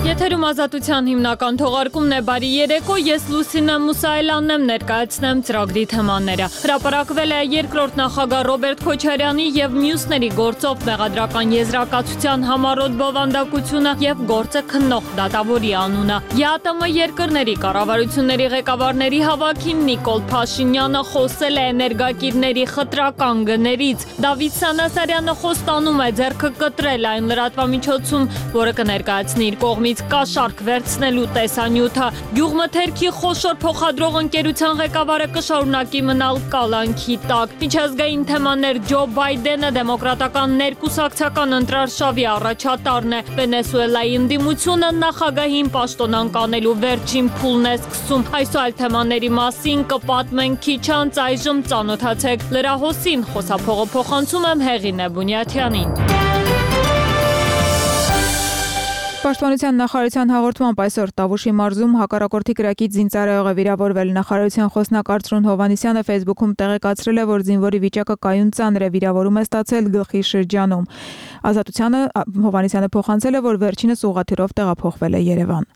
Եթերում ազատության հիմնական թողարկումն է բարի երեկո, ես Լուսինե Մուսայելյանն եմ, ներկայացնեմ ծրագրի թեմաները։ Հրապարակվել է երկրորդ նախագահ Ռոբերտ Քոչարյանի եւ մյուսների գործով մեղադրական եզրակացության համառոտ բովանդակությունը եւ գործը քննող դատավորի անունը։ ԵԱՏՄ երկրների կառավարությունների ղեկավարների հավաքին Նիկոլ Փաշինյանը խոսել է էներգակիրների խտրական գներից։ Դավիթ Սանասարյանը խոստանում է ձեռքը կտրել այն լրատվամիջոցում, որը կներկայացնի իր կողմից կաշառք վերցնելու տեսանյութը։ Գյուղմթերքի խոշոր փոխադրող ընկերության ղեկավարը կշարունակի մնալ կալանքի տակ։ Միջազգային թեմաներ Ջո Բայդենը դեմոկրատական ներկուսակցական ընտրարշավի առաջատարն է։ Վենեսուելայի ընդդիմությունը նախագահին պաշտոնանկ անելու վերջին փուլն է սկսում։ Այս ու այլ թեմաների մասին կպատմենք քիչ անց, այժմ ծանոթացեք լրահոսին, խոսափողը փոխանցում եմ Հեղինե Բունյաթյանին։ Պաշտպանության նախարարության հաղորդմամբ այսօր Տավուշի մարզում հակառակորդի կրակից զինծառայող է վիրավորվել։ Նախարարության խոսնակ Արծրուն Հովհաննիսյանը Facebook-ում տեղեկացրել է, որ զինվորի վիճակը կայուն ծանր է, վիրավորում է ստացել գլխի շրջանում։ Ազատությանը Հովհաննիսյանը փոխանցել է, որ վերջինս ուղղաթիռով տեղափոխվել է Երևան։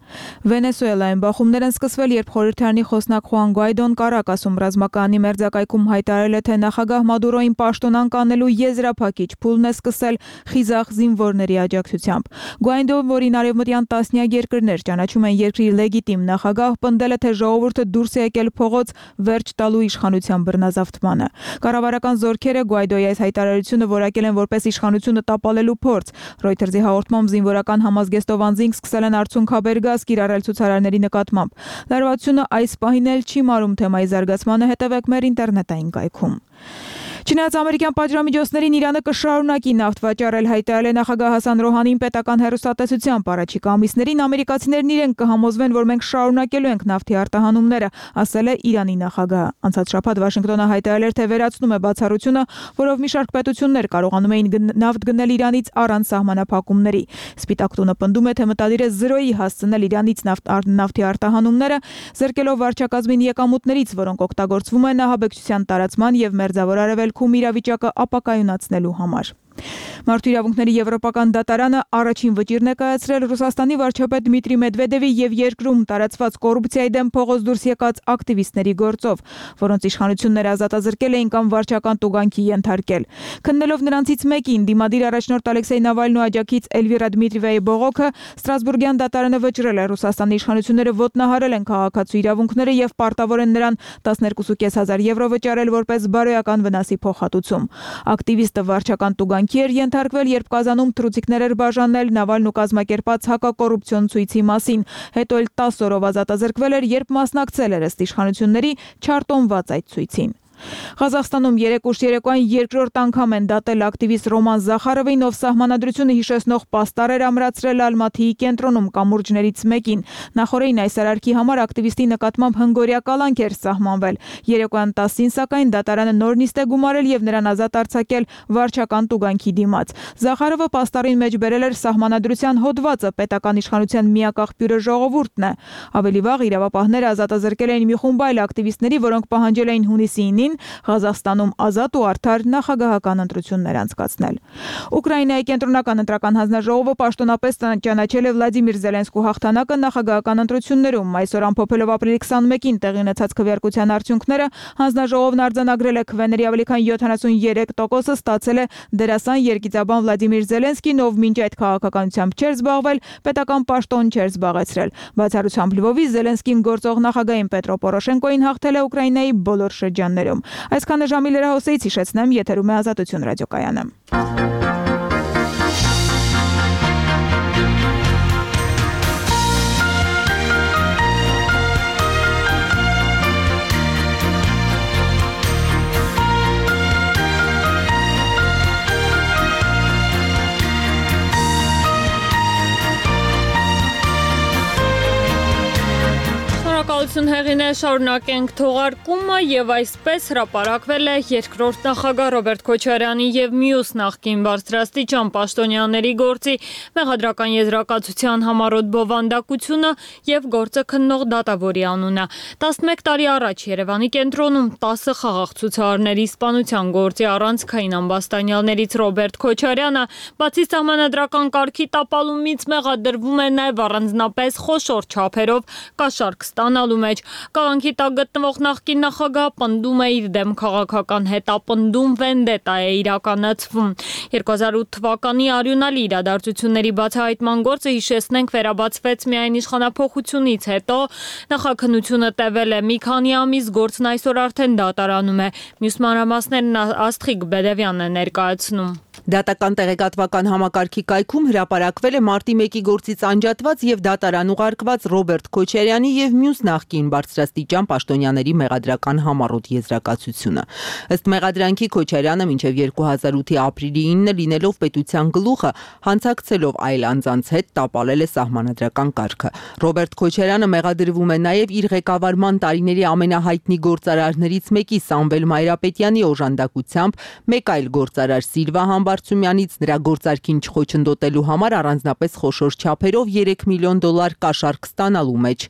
Վենեսուելայում բախումներ են սկսվել, երբ խորհրդարանի խոսնակ Խուան Գուայդոն Կարակասում ռազմակայանի մերձակայքում հայտարարել է, թե նախագահ Մադուրոին պաշտոնանկ անելու եզրափակիչ փուլն է սկսել խիզախ զինվորների աջակցությամբ։ Գուայդոն, որին արևմտյան տասնյակ երկրներ ճանաչում են երկրի լեգիտիմ նախագահ, պնդել է, թե ժողովուրդը դուրս է եկել փողոց վերջ տալու իշխանության բռնազավթմանը։ Կառավարական զորքերը Գուայդոյի այս հայտարարությունը որակել են որպես իշխանությունը տապալելու փորձ։ Ռոյթերզի հաղորդմամբ զինվորական համազգեստով անձինք սկսել են արցունքաբեր գազ կիրառել ցուցարարների նկատմամբ։ Լարվածությունը այս պահին էլ չի մարում թեմայի զարգացմանը, հետևեք մեր ինտերնետային կայքում։ Չնայած ամերիկյան պատժամիջոցներին Իրանը կշարունակի նավթ վաճառել, հայտարարել է նախագահ Հասան Ռոհանին պետական հեռուստատեսությամբ։ Առաջիկա ամիսներին ամերիկացիներն իրենք կհամոզվեն, որ մենք շարունակելու ենք նավթի արտահանումները, ասել է Իրանի նախագահը։ Անցած շաբաթ Վաշինգտոնը հայտարարել էր, թե վերացնում է բացառությունը, որով մի շարք պետություններ կարողանում էին նավթ գնել Իրանից առանց սահմանափակումների։ Սպիտակ տունը պնդում է, թե մտադիր է զրոյի հասցնել Իրանից նավթի արտահանումները, զրկելով վարչակազմին եկամուտներից, որոնք օգտագործվում են ահաբեկչության տարածման եւ մերձավոր արևելքում իրավիճակը ապակայունացնելու համար։ Մարդու իրավունքների եվրոպական դատարանը առաջին վճիռն է կայացրել Ռուսաստանի վարչապետ Դմիտրի Մեդվեդևի եւ երկրում տարածված կոռուպցիայի դեմ փողոց դուրս եկած ակտիվիստների գործով, որոնց իշխանությունները ազատազրկել էին կամ վարչական տուգանքի ենթարկել։ Քննելով նրանցից մեկին, դիմադիր առաջնորդ Ալեքսեյ Նավալնու աջակից Էլվիրա Դմիտրիևայի բողոքը, Ստրասբուրգյան դատարանը վճռել է Ռուսաստանի իշխանությունները ոտնահարել են քաղաքացու իրավունքները եւ պարտավոր են նրան 12.500 եվրո վճարել որպես բարոյական վնասի փոխհատուցում։ Ակտիվիստը վարչական տուգանքի էր ենթարկվել, երբ Կազանում թռուցիկներ էր բաժանել Նավալնու կազմակերպած հակակոռուպցիոն ցույցի մասին, հետո էլ 10 օրով ազատազրկվել էր, երբ մասնակցել էր ըստ իշխանությունների չարտոնված այդ ցույցին։ Ղազախստանում երեկ երեկոյան երկրորդ անգամ են դատել ակտիվիստ Ռոման Զախարովին, ով սահմանադրությունը հիշեցնող պաստառ էր ամրացրել Ալմաթիի կենտրոնում կամուրջներից մեկին։ Նախորդին այս արարքի համար ակտիվիստի նկատմամբ հնգօրյա կալանք էր սահմանվել։ Երեկոյան 10-ին սակայն դատարանը նոր նիստ է գումարել եւ նրան ազատ արձակել վարչական տուգանքի դիմաց։ Զախարովը պաստառին մեջ բերել էր սահմանադրության հոդվածը, պետական իշխանության միակ աղբյուրը ժողովուրդն է։ Ավելի վաղ իրավապահները ազատազրկել էին մի խումբ այլ ակտիվիստների, որոնք պահանջել էին հունիսի 9-ին Ղազախստանում ազատ ու արդար նախագահական ընտրություններ անցկացնել։ Ուկրաինայի կենտրոնական ընտրական հանձնաժողովը պաշտոնապես ճանաչել է Վլադիմիր Զելենսկու հաղթանակը նախագահական ընտրություններում։ Այսօր ամփոփելով ապրիլի 21-ին տեղի ունեցած քվեարկության արդյունքները, հանձնաժողովն արձանագրել է քվեների ավելի քան 73%-ը ստացել է դերասան երգիծաբան Վլադիմիր Զելենսկին, ով մինչ այդ քաղաքականությամբ չէր զբաղվել, պետական պաշտոն չէր զբաղեցրել։ Բացառությամբ Լվովի Զելենսկին գործող նախագահին Պետրո Պորոշենկոին հաղթել է Ուկրաինայի բոլոր շրջաններում։ Այսքանը ժամի լրահոսից հիշեցնեմ, եթերում է Ազատություն ռադիոկայանը։ Շնորհակալություն Հեղինե, շարունակենք թողարկումը եւ այսպես հրապարակվել է երկրորդ նախագահ Ռոբերտ Քոչարյանի եւ մյուս նախկին բարձրաստիճան պաշտոնյաների գործի մեղադրական եզրակացության համառոտ բովանդակությունը եւ գործը քննող դատավորի անունը։ 11 տարի առաջ Երևանի կենտրոնում 10 խաղաղ ցուցարարների սպանության գործի առանցքային ամբաստանյալներից Ռոբերտ Քոչարյանը բացի սահմանադրական կարգի տապալումից մեղադրվում է նաեւ առանձնապես խոշոր չափերով կաշառք ստանալու մեջ։ Կալանքի տակ գտնվող նախկին նախագահ պնդում է իր դեմ քաղաքական հետապնդում վենդետա է իրականացվում։ 2008 թվականի արյունալի իրադարձությունների բացահայտման գործը հիշեցնենք վերաբացվեց միայն իշխանափոխությունից հետո։ Նախաքննությունը տևել է մի քանի ամիս, գործն այսօր արդեն դատարանում է։ Մյուս մանրամասներն Աստղիկ Բեդևյանն է ներկայացնում։ Դատական տեղեկատվական համակարգի կայքում հրապարակվել է մարտի 1-ի գործից անջատված եւ դատարան ուղարկված Ռոբերտ Քոչարյանի եւ մյուս նախկին բարձրաստիճան պաշտոնյաների մեղադրական համառոտ եզրակացությունը։ Ըստ մեղադրանքի Քոչարյանը մինչեւ 2008-ի ապրիլի 9-ը լինելով պետության գլուխը, հանցակցելով այլ անձանց հետ տապալել է սահմանադրական կարգը։ Ռոբերտ Քոչարյանը մեղադրվում է նաեւ իր ղեկավարման տարիների ամենահայտնի գործարարներից մեկի Սամվել Մայրապետյանի օժանդակությամբ մեկ այլ գործարար Սիլվա Բարցումյանից նրա գործարքին չխոչընդոտելու համար առանձնապես խոշոր չափերով $3 միլիոն կաշառք ստանալու մեջ։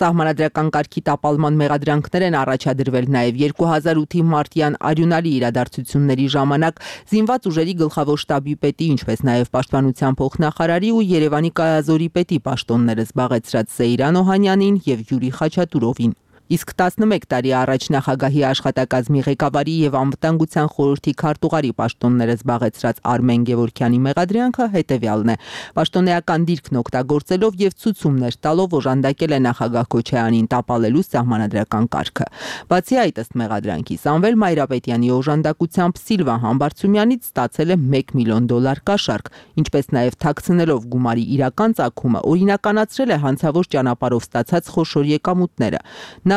Սահմանադրական կարգի տապալման մեղադրանքներ են առաջադրվել նաև 2008-ի մարտյան արյունալի իրադարձությունների ժամանակ զինված ուժերի գլխավոր շտաբի պետի, ինչպես նաև պաշտպանության փոխնախարարի ու Երևանի կայազորի պետի պաշտոնները զբաղեցրած Սեյրան Օհանյանին եւ Յուրի Խաչատուրովին։ Իսկ 11 տարի առաջ նախագահի աշխատակազմի ղեկավարի եւ անվտանգության խորհրդի քարտուղարի պաշտոնները զբաղեցրած Արմեն Գևորգյանի մեղադրանքը հետեւյալն է. պաշտոնեական դիրքն օգտագործելով եւ ցուցումներ տալով օժանդակել է նախագահ Քոչարյանին տապալելու սահմանադրական կարգը։ Բացի այդ, ըստ մեղադրանքի, Սամվել Մայրապետյանի օժանդակությամբ Սիլվա Բարցումյանից ստացել է $1 միլիոն կաշառք, ինչպես նաեւ թաքցնելով գումարի իրական ծագումը օրինականացրել է հանցավոր ճանապարհով ստացած խոշոր եկամուտները։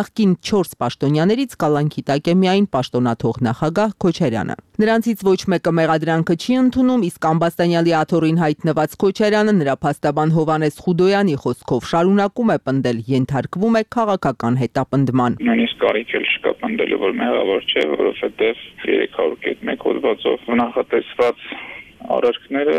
Նախկին 4 պաշտոնյաներից կալանքի տակ է միայն պաշտոնաթող նախագահ Քոչարյանը։ Նրանցից ոչ մեկը մեղադրանքը չի ընդունում, իսկ ամբաստանյալի աթոռին հայտնված Քոչարյանը նրա փաստաբան Հովհաննես Խուդոյանի խոսքով շարունակում է պնդել, ենթարկվում է քաղաքական հետապնդման։ Նույնիսկ կարիք էլ չկա պնդելու, որ մեղավոր չէ, որովհետև 301 հոդվածով նախատեսված արարքները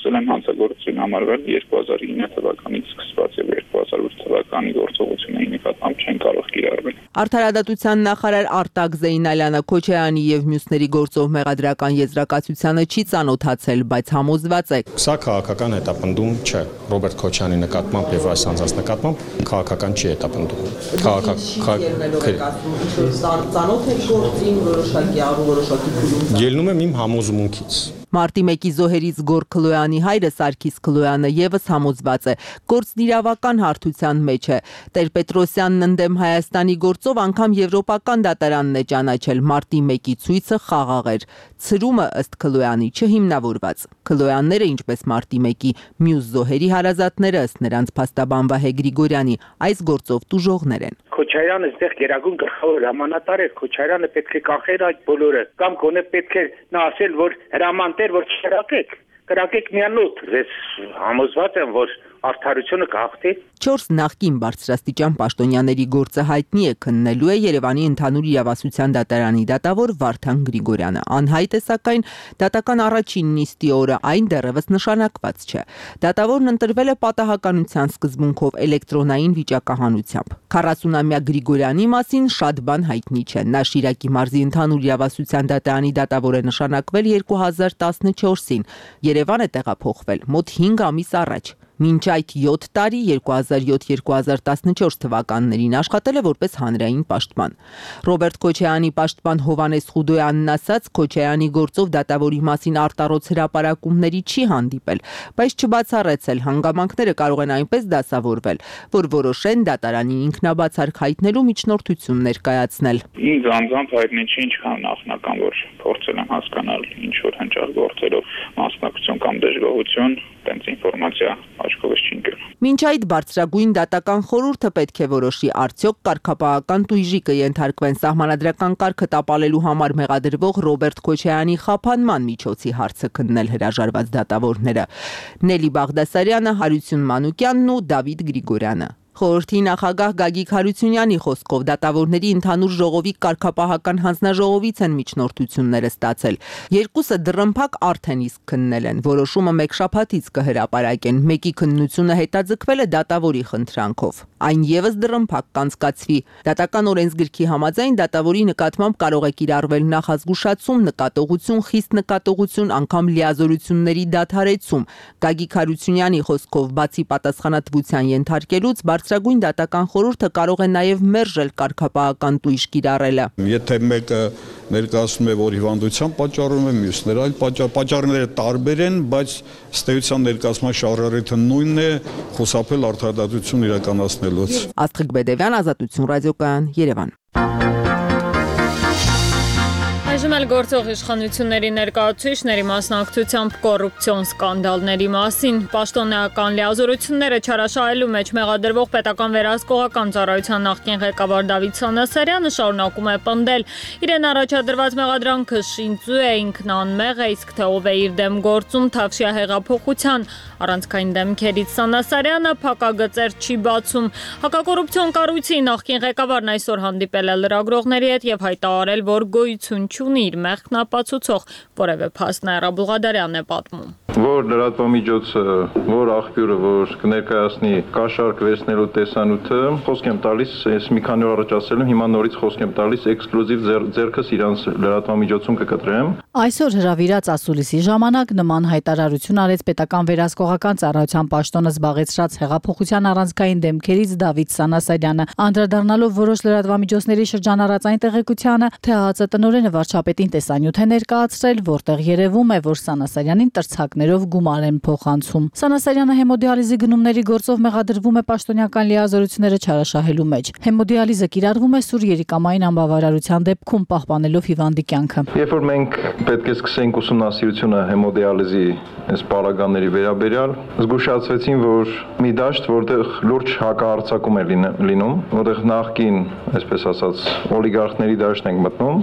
սկսել են հանցագործություն համարվել 2009 թվականից սկսված եւ 2008 թվականի գործողությունների նկատմամբ չեն կարող կիրառվել։ Արդարադատության նախարար Արտակ Զեյնալյանը Քոչարյանի եւ մյուսների գործով մեղադրական եզրակացությանը չի ծանոթացել, բայց համոզված է. Սա քաղաքական հետապնդում չէ։ Ռոբերտ Քոչարյանի նկատմամբ եւ այս անձանց նկատմամբ քաղաքական չի հետապնդում։ Ծանոթ է գործին որոշակի ելնում եմ իմ համոզմունքից։ Մարտի 1-ի զոհերից Գոր Քլոյանի հայրը Սարգիս Քլոյանը եւս համոզված է, գործն իրավական հարթության մեջ է։ Տեր-Պետրոսյանն ընդդեմ Հայաստանի գործով անգամ եվրոպական դատարանն է ճանաչել, մարտի 1-ի ցույցը խաղաղ էր։ Ցրումը ըստ Քլոյանի չհիմնավորված։ Քլոյանները, ինչպես մարտի 1-ի մյուս զոհերի հարազատները, ըստ նրանց փաստաբան Վահե Գրիգորյանի, այս գործով տուժողներ են։ Քոչարյանը այստեղ գերագույն գլխավոր հրամանատար էր, Քոչարյանը պետք է կանխեր այդ բոլորը, կամ գոնե պետք է նա ասել, որ հրամանտեր, որ կրակեք միանոտ, ես համոզված եմ, որ արդարությունը կհաղթի։ 4 նախկին բարձրաստիճան պաշտոնյաների գործը հայտնի է քննելու է Երևանի ընդհանուր իրավասության դատարանի դատավոր Վարդան Գրիգորյանը։ Անհայտ է սակայն դատական առաջին նիստի օրը, այն դեռևս նշանակված չէ։ Դատավորն ընտրվել է պատահականության սկզբունքով էլեկտրոնային վիճակահանությամբ։ 40-ամյա Գրիգորյանի մասին շատ բան հայտնի չէ։ Նա Շիրակի մարզի ընդհանուր իրավասության դատարանի դատավոր է նշանակվել 2014-ին։ Երևան է տեղափոխվել մոտ 5 ամիս առաջ։ Մինչ այդ 7 տարի 2007-2014 թվականներին աշխատել է որպես հանրային պաշտպան։ Ռոբերտ Քոչարյանի պաշտպան Հովհաննես Խուդոյանն ասաց, Քոչարյանի գործով դատավորի մասին արտառոց հրապարակումների չի հանդիպել, բայց չբացառեցել հանգամանքները կարող են այնպես դասավորվել, որ որոշեն դատարանին ինքնաբացարկ հայտնելու միջնորդություն ներկայացնել։ Ինձ անձամբ հայտնի չի ինչքան նախնական, որ փորձել եմ հասկանալ ինչ որ հնչած գործերով մասնակցություն կամ դժգոհություն, տենց ինֆորմացիա աչքովս չի ընկել։ Մինչ այդ բարձրագույն դատական խորհուրդը պետք է որոշի արդյոք կարգապահական տույժի կենթարկվեն սահմանադրական կարգը տապալելու համար մեղադրվող Ռոբերտ Քոչարյանի խափանման միջոցի հարցը քննել հրաժարված դատավորները։ Նելի Բաղդասարյանը, Հարություն Մանուկյանն ու Դավիթ Գրիգորյանը։ Խորհրդի նախագահ Գագիկ Հարությունյանի խոսքով դատավորների ընդհանուր ժողովի կարգապահական հանձնաժողովից են միջնորդությունները ստացել։ Երկուսը դռնփակ արդեն իսկ քննել են։ Որոշումը մեկ շաբաթից կհրապարակեն։ Մեկի քննությունը հետաձգվել է դատավորի խնդրանքով։ Այն եւս դռնփակ կանցկացվի։ Դատական օրենսգրքի համաձայն դատավորի նկատմամբ կարող է կիրառվել նախազգուշացում, նկատողություն, խիստ նկատողություն, անգամ լիազորությունների դադարեցում։ Գագիկ Հարությունյանի խոսքով բացի պատասխանատվության ենթարկելուց Բարձրագույն դատական խորհուրդը կարող է նաև մերժել կարգապահական տույժ կիրառելը։ Եթե մեկը ներկայացնում է, որ հիվանդության պատճառում է, մյուսները այլ պատճառները տարբեր են, բայց ըստ էության ներկայացման շարժառիթը նույնն է՝ խուսափել արդարադատություն իրականացնելուց։ Աստղիկ Բեդևյան, Ազատություն ռադիոկայան, Երևան։ Այժմ էլ գործող իշխանությունների ներկայացուցիչների մասնակցությամբ կոռուպցիոն սկանդալների մասին պաշտոնեական լիազորությունները չարաշահելու մեջ մեղադրվող պետական վերահսկողական ծառայության նախկին ղեկավար Դավիթ Սանասարյանը շարունակում է պնդել իրեն առաջադրված մեղադրանքը շինծու է, ինքն անմեղ է, իսկ թե ով է իր դեմ գործում Թավշյա հեղափոխության առանցքային դեմքերից Սանասարյանը փակագծեր չի բացում։ Հակակոռուպցիոն կառույցի նախկին ղեկավարն այսօր հանդիպել է լրագրողների հետ եւ հայտարարել, որ գոյություն չունի իր մեղքն ապացուցող որևէ փաստ Նաիրա Բուղադարյանն է պատմում։ Որ լրատվամիջոցը, որ աղբյուրը, որ կներկայացնի կաշառք վերցնելու տեսանյութը, խոսք եմ տալիս, ես մի քանի օր առաջ ասել եմ, հիմա նորից խոսք եմ տալիս, էքսկլյուզիվ ձեռքս իրանց լրատվամիջոցում կկտրեմ։ Այսօր հրավիրած ասուլիսի ժամանակ նման հայտարարություն արեց պետական վերահսկողական ծառայության պաշտոնը զբաղեցրած հեղափոխության առանցքային դեմքերից Դավիթ Սանասարյանը, անդրադառնալով որոշ լրատվամիջոցների շրջանառած այն տեղեկությանը, թե ՀԱԾ տնօրենը վարչապետին տեսանյութ է ներկայացրել, որտեղ երևում է, որ Սանասարյանին տրցակներով գումար են փոխանցում։ Սանասարյանը հեմոդիալիզի գնումների գործով մեղադրվում է պաշտոնեական լիազորությունները չարաշահելու մեջ։ Հեմոդիալիզը կիրառվում է սուր երիկամային անբավարարության դեպքում պահպանելով հիվանդի կյանքը։ Երբ որ մենք պետք է սկսենք ուսումնասիրությունը հեմոդիալիզի այս պարագաների վերաբերյալ, զգուշացվեցին, որ մի դաշտ, որտեղ լուրջ հակահարձակում է լինում, որտեղ նախկին, այսպես ասած, օլիգարխների դաշտ ենք մտնում,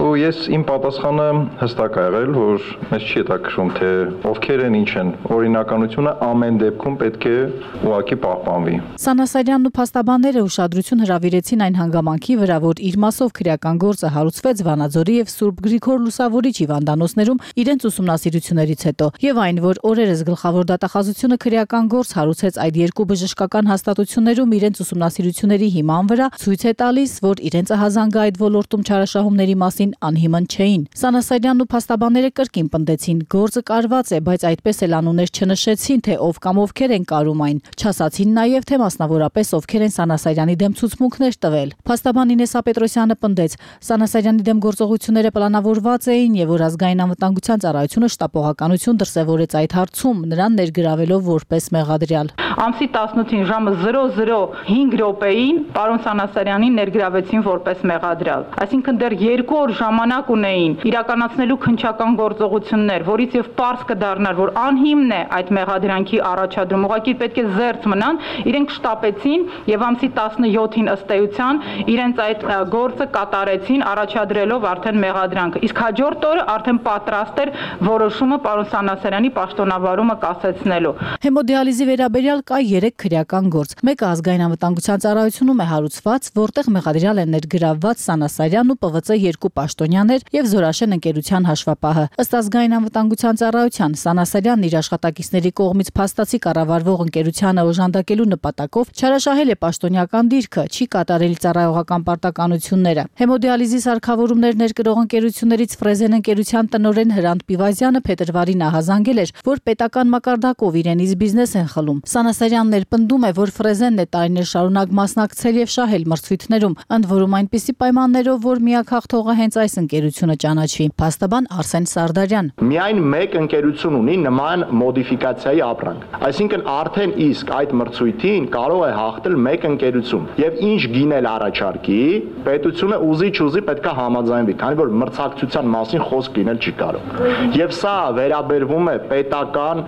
ու ես իմ պատասխանը հստակ ա եղել, որ մեզ չի հետաքրքրում, թե ովքեր են, ինչ են, օրինականությունը ամեն դեպքում պետք է ուղղակի պահպանվի։ Սանասարյանն ու փաստաբանները ուշադրություն հրավիրեցին այն հանգամանքի վրա, որ իր մասով քրեական գործը հարուցվեց Վանաձորի եւ Սուրբ Գրիգոր Լուսավորիչ հիվանդանոցներում իրենց ուսումնասիրություններից հետո, եւ այն, որ օրերս գլխավոր դատախազությունը քրեական գործ հարուցեց այդ երկու բժշկական հաստատություններում իրենց ուսումնասիրությունների հիման վրա, ցույց է տալիս, որ իրենց հազանգը այդ ոլորտում չարաշահումների մասին անհիմն չէին։ Սանասարյանն ու փաստաբանները կրկին պնդեցին, գործը կարված է, բայց այդպես էլ անուններ չնշեցին, թե ով կամ ովքեր են կարում այն։ Չասացին նաև, թե մասնավորապես ովքեր են Սանասարյանի դեմ ցուցմունքներ տվել։ Փաստաբան Ինեսա Պետրոսյանը պնդեց, Սանասարյանի դեմ գործողությունները պլանավորված էին եւ որ ազգային անվտանգության ծառայությունը շտապողականություն դրսեւորեց այդ հարցում, նրան ներգրավելով որպես մեղադրյալ։ Ամսի 18-ին ժամը 00:05 րոպեին պարոն Սանասարյանին ներգրավեցին որպես մեղադրյալ։ Այսինքն դեռ 2 օր ժամանակ ունեին իրականացնելու քննչական գործողություններ, որից եւ պարզ կդառնար, որ անհիմն է այդ մեղադրանքի առաջադրում, ուղղակի պետք է զերծ մնան, իրենք շտապեցին եւ ամսի 17-ին ըստ էության իրենց այդ գործը կատարեցին, առաջադրելով արդեն մեղադրանքը։ Իսկ հաջորդ օրը արդեն պատրաստ էր որոշումը պարոն Սանասարյանի պաշտոնավարումը կասեցնելու։ Հեմոդիալիզի վերաբերյալ կա 3 քրեական գործ։ Մեկը ազգային անվտանգության ծառայությունում է հարուցված, որտեղ մեղադրյալ են ներգրավված Սանասարյանն ու ՊՎԾ 2 պաշտոնյաներ եւ Զորաշեն ընկերության հաշվապահը։ Ըստ ազգային անվտանգության ծառայության Սանասարյանն իր աշխատակիցների կողմից փաստացի կառավարվող ընկերությանը օժանդակելու նպատակով չարաշահել է պաշտոնյական դիրքը, չի կատարել ծառայողական պարտականությունները։ Հեմոդիալիզի սարքավորումներ ներկրող ընկերություններից Ֆրեզեն ընկերության տնօրեն Հրանտ Պիվազյանը փետրվարին ահազանգել էր, որ պետական մակարդակով իրենից բիզնես են խլում։ Սանասարյանն էլ պնդում է, որ Ֆրեզենն է տարիներ շարունակ մասնակցել եւ շահել մրցույթներում, ընդ որում այնպիսի պայմաններով, որ միակ հաղթողը հենց այս ընկերությունը ճանաչվի։ Փաստաբան Արսեն Սարդարյան։ Միայն մեկ ընկերություն ունի նման մոդիֆիկացիայի ապրանք։ Այսինքն արդեն իսկ այդ մրցույթին կարող է հաղթել մեկ ընկերություն։ Եվ ինչ գինել առաջարկի, պետությունը ուզի չուզի պետքա համաձայնվի, քանի որ մրցակցության մասին այլ խոսք լինել չի կարող։ Եվ սա վերաբերվում է պետական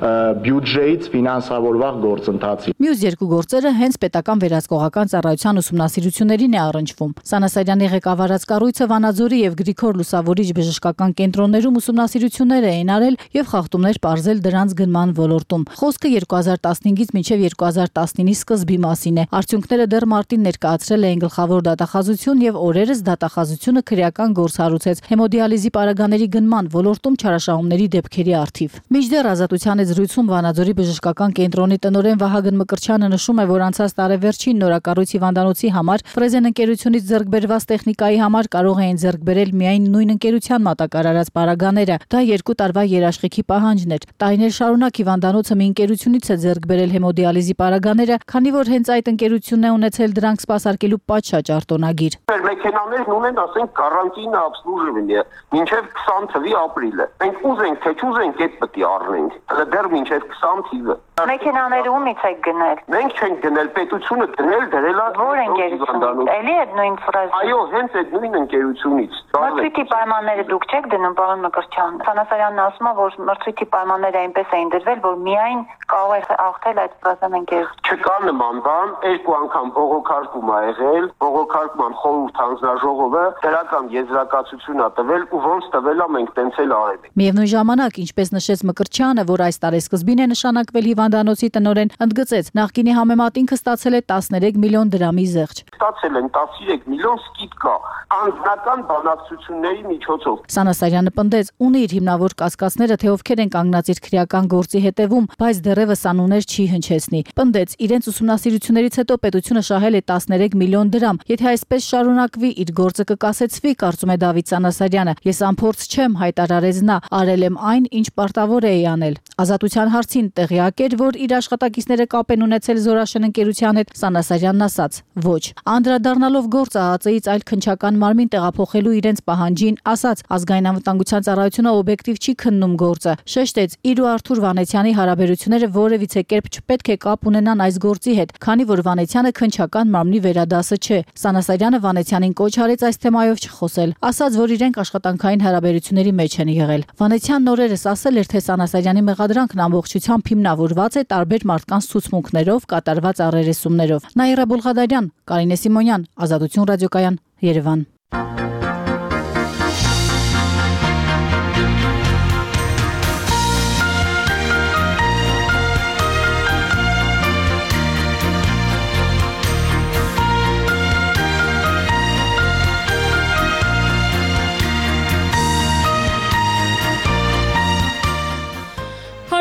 բյուջեից ֆինանսավորվող գործընթացին։ Մյուս երկու գործերը հենց պետական վերահսկողական ծառայության ուսումնասիրություններին է առնչվում։ Սանասարյանի ղեկավարած կառույցը Վանաձորի եւ Գրիգոր Լուսավորիչ բժշկական կենտրոններում ուսումնասիրություններ էին արել եւ խախտումներ պարզել դրանց գնման ոլորտում։ Խոսքը 2015-ից մինչև 2019-ի սկզբի մասին է։ Արդյունքները դեռ մարտին ներկայացրել էին գլխավոր դատախազություն եւ օրերս դատախազությունը քրեական գործ հարուցեց հեմոդիալիզի պարագաների գնման ոլորտում չարաշահումների դեպքերի առթիվ։ Մինչդեռ Ազատության զրույցում Վանաձորի բժշկական կենտրոնի տնօրեն Վահագն Մկրտչյանը նշում է, որ անցած տարեվերջին նորակառույց հիվանդանոցի համար Ֆրեզեն ընկերությունից ձեռք բերված տեխնիկայի համար կարող էին ձեռք բերել միայն նույն ընկերության մատակարարած պարագաները։ Դա 2 տարվա երաշխիքի պահանջն էր։ Տարիներ շարունակ հիվանդանոցը մի ընկերությունից է ձեռք բերել հեմոդիալիզի պարագաները, քանի որ հենց այդ ընկերությունն է ունեցել դրանք սպասարկելու պատշաճ արտոնագիր։ Մեքենաներն ունեն, ասենք, կարանտինա обслуживание մինչև 20 թվականի ապրիլը։ Մենք ուզենք, թե չուզենք, այդ պետք է առնենք։ Հələ դեռ մինչև 20 թիվը։ Մեքենաները ումից եք գնել։ Մենք չենք գնել, պետությունը դնել դրել է։ Որ ընկերությունից։ Էլի այդ նույն ֆրազը։ Այո, հենց այդ նույն ընկերությունից։ Մրցույթի պայմանները դուք չեք դնում, պարոն Մկրտչյան։ Սանասարյանն ասում է, որ մրցույթի պայմանները այնպես էին դրվել, որ միայն կարող է աղթել այդ ֆրազան ընկերություն։ Չկա նման բան, 2 անգամ բողոքարկում ա եղել, բողոքարկման խորհուրդ հանձնաժողովը դրական եզրակացություն ա տվել ու ոնց տվել ա մենք տենց էլ արել ենք։ Միևնույն ժամանակ, ինչպես նշեց Մկրտչյանը, որ այս տարեսկզբին է նշանակվել հիվանդանոցի տնօրեն, ընդգծեց, նախկինի համեմատ ինքը ստացել է 13 միլիոն դրամի զեղչ։ Ստացել են 13 միլիոն սկիզբկա անձնական բանակցությունների միջոցով։ Սանասարյանը պնդեց, ունի իր հիմնավոր կասկածները, թե ովքեր են կանգնած իր քրեական գործի հետևում, բայց դեռևս անուններ չի հնչեցնի։ Պնդեց, իրենց ուսումնասիրություններից հետո պետությունը շահել է 13 միլիոն դրամ։ Եթե այսպես շարունակվի, իր գործը կկասեցվի, կարծում է Դավիթ Սանասարյանը։ Ես անփորձ չեմ, հայտարարեց նա, արել եմ այն, ինչ պարտավոր էի անել։ Ազատության հարցին տեղյակ էր, որ իր աշխատակիցները կապ են ունեցել Զորաշեն ընկերության հետ, Սանասարյանն ասաց. ոչ։ Անդրադառնալով գործը ՀԱԾ-ից այլ քննչական մարմին տեղափոխելու իրենց պահանջին, ասաց, ազգային անվտանգության ծառայությունը օբյեկտիվ չի քննում գործը։ Շեշտեց, իր ու Արթուր Վանեցյանի հարաբերությունները որևիցե կերպ չպետք է կապ ունենան այս գործի հետ, քանի որ Վանեցյանը քննչական մարմնի վերադասը չէ։ Սանասարյանը Վանեցյանին կոչ արեց այս թեմայով չխոսել, ասաց, որ իրենք աշխատանքային հարաբերությունների մեջ են եղել։ Վանեցյանն օրերս ասել էր, թե Սանասարյանի մեղադրանքն ամբողջությամբ հիմնավորված է տարբեր մարդկանց ցուցմունքներով, կատարված առերեսումներով։ Նաիրա Բուլղադարյան, Կարինե Սիմոնյան, Ազատություն ռադիոկայան, Երևան։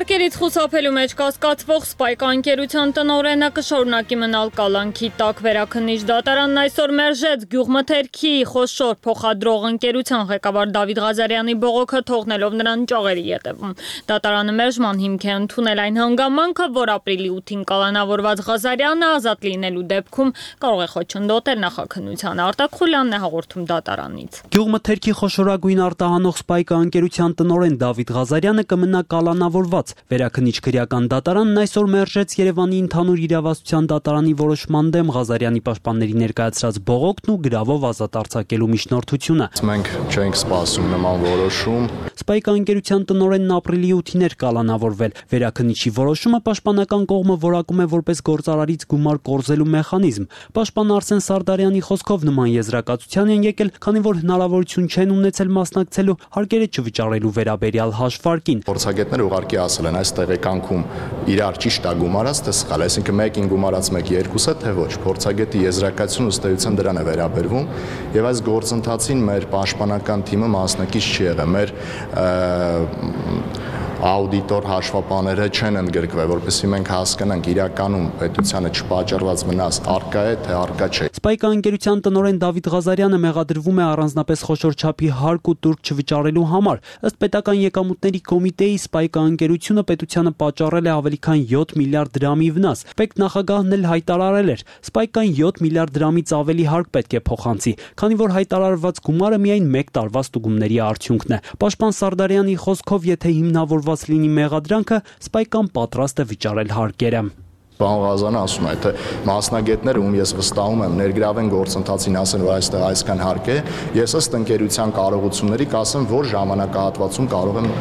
Հարկերից խուսափելու մեջ կասկածվող Սպայք ընկերության տնօրենը կշարունակի մնալ կալանքի տակ։ Վերաքննիչ դատարանն այսօր մերժեց գյուղմթերքի խոշոր փոխադրող ընկերության ղեկավար Դավիթ Ղազարյանի բողոքը, թողնելով նրան ճաղերի ետևում։ Դատարանը մերժման հիմք է ընդունել այն հանգամանքը, որ ապրիլի 8-ին կալանավորված Ղազարյանը ազատ լինելու դեպքում կարող է խոչընդոտել նախաքննությանը։ Արտակ Խուլյանն է հաղորդում դատարանից։ Գյուղմթերքի խոշորագույն արտահանող Սպայք ընկերության տնօրեն Դավիթ Ղազարյանը կմնա կալանավորված։ Վերաքննիչ քրեական դատարանն այսօր մերժեց Երևանի ընդհանուր իրավասության դատարանի որոշման դեմ Ղազարյանի պաշտպանների ներկայացրած բողոքն ու գրավով ազատ արձակելու միջնորդությունը։ Մենք չենք սպասում նման որոշում։ Սպայք ընկերության տնօրենն ապրիլի 8-ին էր կալանավորվել։ Վերաքննիչի որոշումը պաշտպանական կողմը որակում է որպես գործարարից գումար կորզելու մեխանիզմ։ Պաշտպան Արսեն Սարդարյանի խոսքով նման եզրակացության են եկել, քանի որ հնարավորություն չեն ունեցել մասնակցելու հարկերը չվճարելու վերաբերյալ հաշվարկին։ Փորձագետները ուղղակի ասել են այս տեղեկանքում իրար ճիշտ է գումարած, թե սխալ, այսինքն մեկին գումարած մեկի երկուսը, թե ոչ։ Փորձագետի եզրակացությունը ըստ էության դրան է վերաբերվում, եւ այս գործընթացին մեր պաշտպանական թիմը մասնակից չի եղել։ Մեր աուդիտոր հաշվապաները չեն ընդգրկվել, որպեսզի մենք հասկանանք իրականում պետությանը չպատճառված վնաս արկա է, թե արկա չէ։ Սպայք ընկերության տնօրեն Դավիթ Ղազարյանը մեղադրվում է առանձնապես խոշոր չափի հարկ ու տուրք չվճարելու համար։ Ըստ պետական եկամուտների կոմիտեի Սպայք ընկերությունը պետությանը պատճառել է ավելի քան 7 միլիարդ դրամի վնաս։ Պետք նախագահն էլ հայտարարել էր, Սպայքան 7 միլիարդ դրամից ավելի հարկ պետք է փոխանցի, քանի որ հայտարարված գումարը միայն 1 տարվա ստուգումների արդյունքն է։ Պաշտպան Սարդարյանի խոսքով, եթե հիմնավորված լինի մեղադրանքը, Սպայքան պատրաստ է վճարել հարկերը։ Պարոն Ղազարյանը ասում է, թե մասնագետները, ում ես վստահում եմ, ներգրավեն գործընթացին, ասեն, որ այստեղ այսքան հարկ է, ես ըստ ընկերության կարողությունների կասեմ, որ ժամանակահատվածում կարող եմ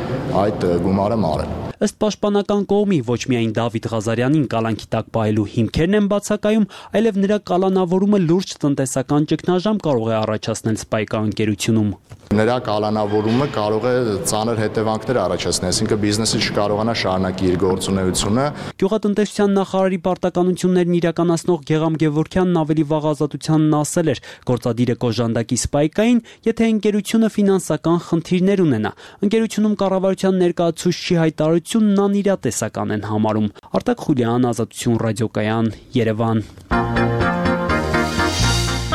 այդ գումարը մարել։ Ըստ պաշտպանական կողմի ոչ միայն Դավիթ Ղազարյանին կալանքի տակ պահելու հիմքերն են բացակայում, այլև նրա կալանավորումը լուրջ տնտեսական ճգնաժամ կարող է առաջացնել Spike ընկերությունում։ Նրա կալանավորումը կարող է ծանր հետևանքներ առաջացնել, այսինքն բիզնեսը չկարողանա շարունակի իր գործունեությունը։ Գյուղատնտեսության նախարարի պարտականություններն իրականացնող Գեգամ Գևորգյանն ավելի վաղ Ազատությանն ասել էր, գործադիրը կոժանդակի Spike-ին, եթե ընկերությունը ֆինանսական խնդիրներ ունենա։ Ընկերությունում կառավարության ներկայացուցչի հայտարարությունն անիրատեսական են համարում։ Արտակ Խուլյան, Ազատություն ռադիոկայան, Երևան։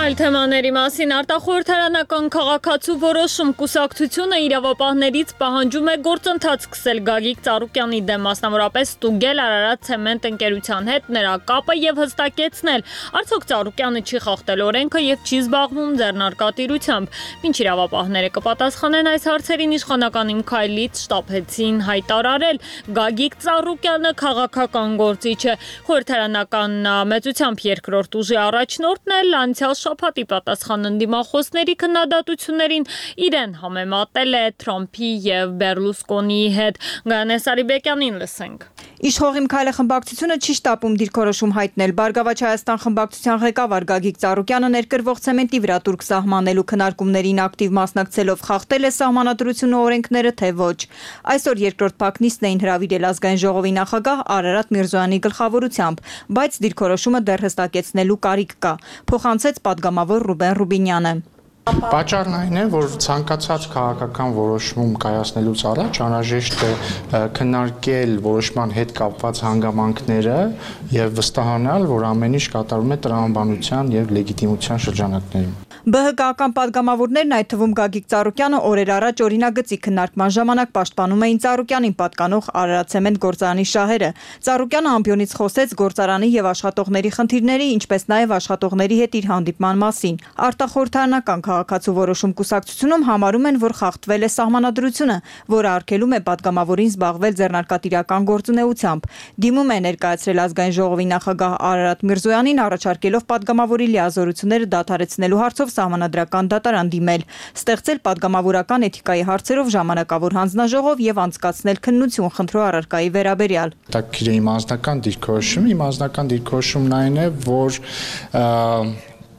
Այլ թեմաների մասին արտախորհրդարանական քաղաքացու որոշում կուսակցությունը իրավապահներից պահանջում է գործընթաց սկսել Գագիկ Ծառուկյանի դեմ, մասնավորապես ստուգել Արարատ ցեմենտ ընկերության հետ նրա կապը եւ հստակեցնել, արդյոք Ծառուկյանը չի խախտել օրենքը եւ չի զբաղվում ձեռնարկատիրությամբ։ Մինչ իրավապահները կպատասխանեն այս հարցերին, իշխանական Իմ քայլից շտապեցին հայտարարել, Գագիկ Ծառուկյանը քաղաքական գործիչ է։ Խորհրդարանական մեծությամբ երկրորդ ուժի առաջնորդն էլ անցյալ շաբաթի պատասխան ընդդիմախոսների քննադատություններին իրեն համեմատել է Թրամփի եւ Բերլուսկոնիի հետ։ Գայանե Սարիբեկյանին լսենք։ Իշխող Իմ քայլը խմբակցությունը չի շտապում դիրքորոշում հայտնել։ Բարգավաճ Հայաստան խմբակցության ղեկավար Գագիկ Ծառուկյանը ներկրվող ցեմենտի վրա տուրք սահմանելու քննարկումներին ակտիվ մասնակցելով խախտել է սահմանադրությունը օրենքները, թե ոչ։ Այսօր երկրորդ փակնիստն էին հրավիրել ազգային ժողովի նախագահ Արարատ Միրզոյանի գլխավորությամբ, բայց դիրքորոշումը դեռ հստակեցնելու կարիք կա, փոխանցեց պատգամավոր Ռուբեն Ռուբինյանը։ Պատճառն այն է, որ ցանկացած քաղաքական որոշում կայացնելուց առաջ անհրաժեշտ է քննարկել որոշման հետ կապված հանգամանքները եւ վստահանալ, որ ամեն ինչ կատարվում է տրամաբանության եւ լեգիտիմության շրջանակներում։ ԲՀԿ-ական պատգամավորներն, այդ թվում Գագիկ Ծառուկյանը, օրեր առաջ օրինագծի քննարկման ժամանակ պաշտպանում էին Ծառուկյանին պատկանող Արարատ ցեմենտ գործարանի շահերը։ Ծառուկյանը ամբիոնից խոսեց գործարանի եւ աշխատողների խնդիրների, ինչպես նաեւ աշխատողների հետ իր հանդիպման մասին։ Արտախորհրդարանական քաղաքացու որոշում կուսակցությունում համարում են, որ խախտվել է սահմանադրությունը, որը արգելում է պատգամավորին զբաղվել ձեռնարկատիրական գործունեությամբ։ Դիմում է ներկայացրել ազգային ժողովի նախագահ Արարատ Միրզոյանին, առաջարկելով պատգամավորի լիազորությունները դադարեցնելու հարցով սահմանադրական դատարան դիմել, ստեղծել պատգամավորական էթիկայի հարցերով ժամանակավոր հանձնաժողով եւ անցկացնել քննություն խնդրո առարկայի վերաբերյալ։ Տակիրը իմ անձնական դիրքորոշումն այն է, որ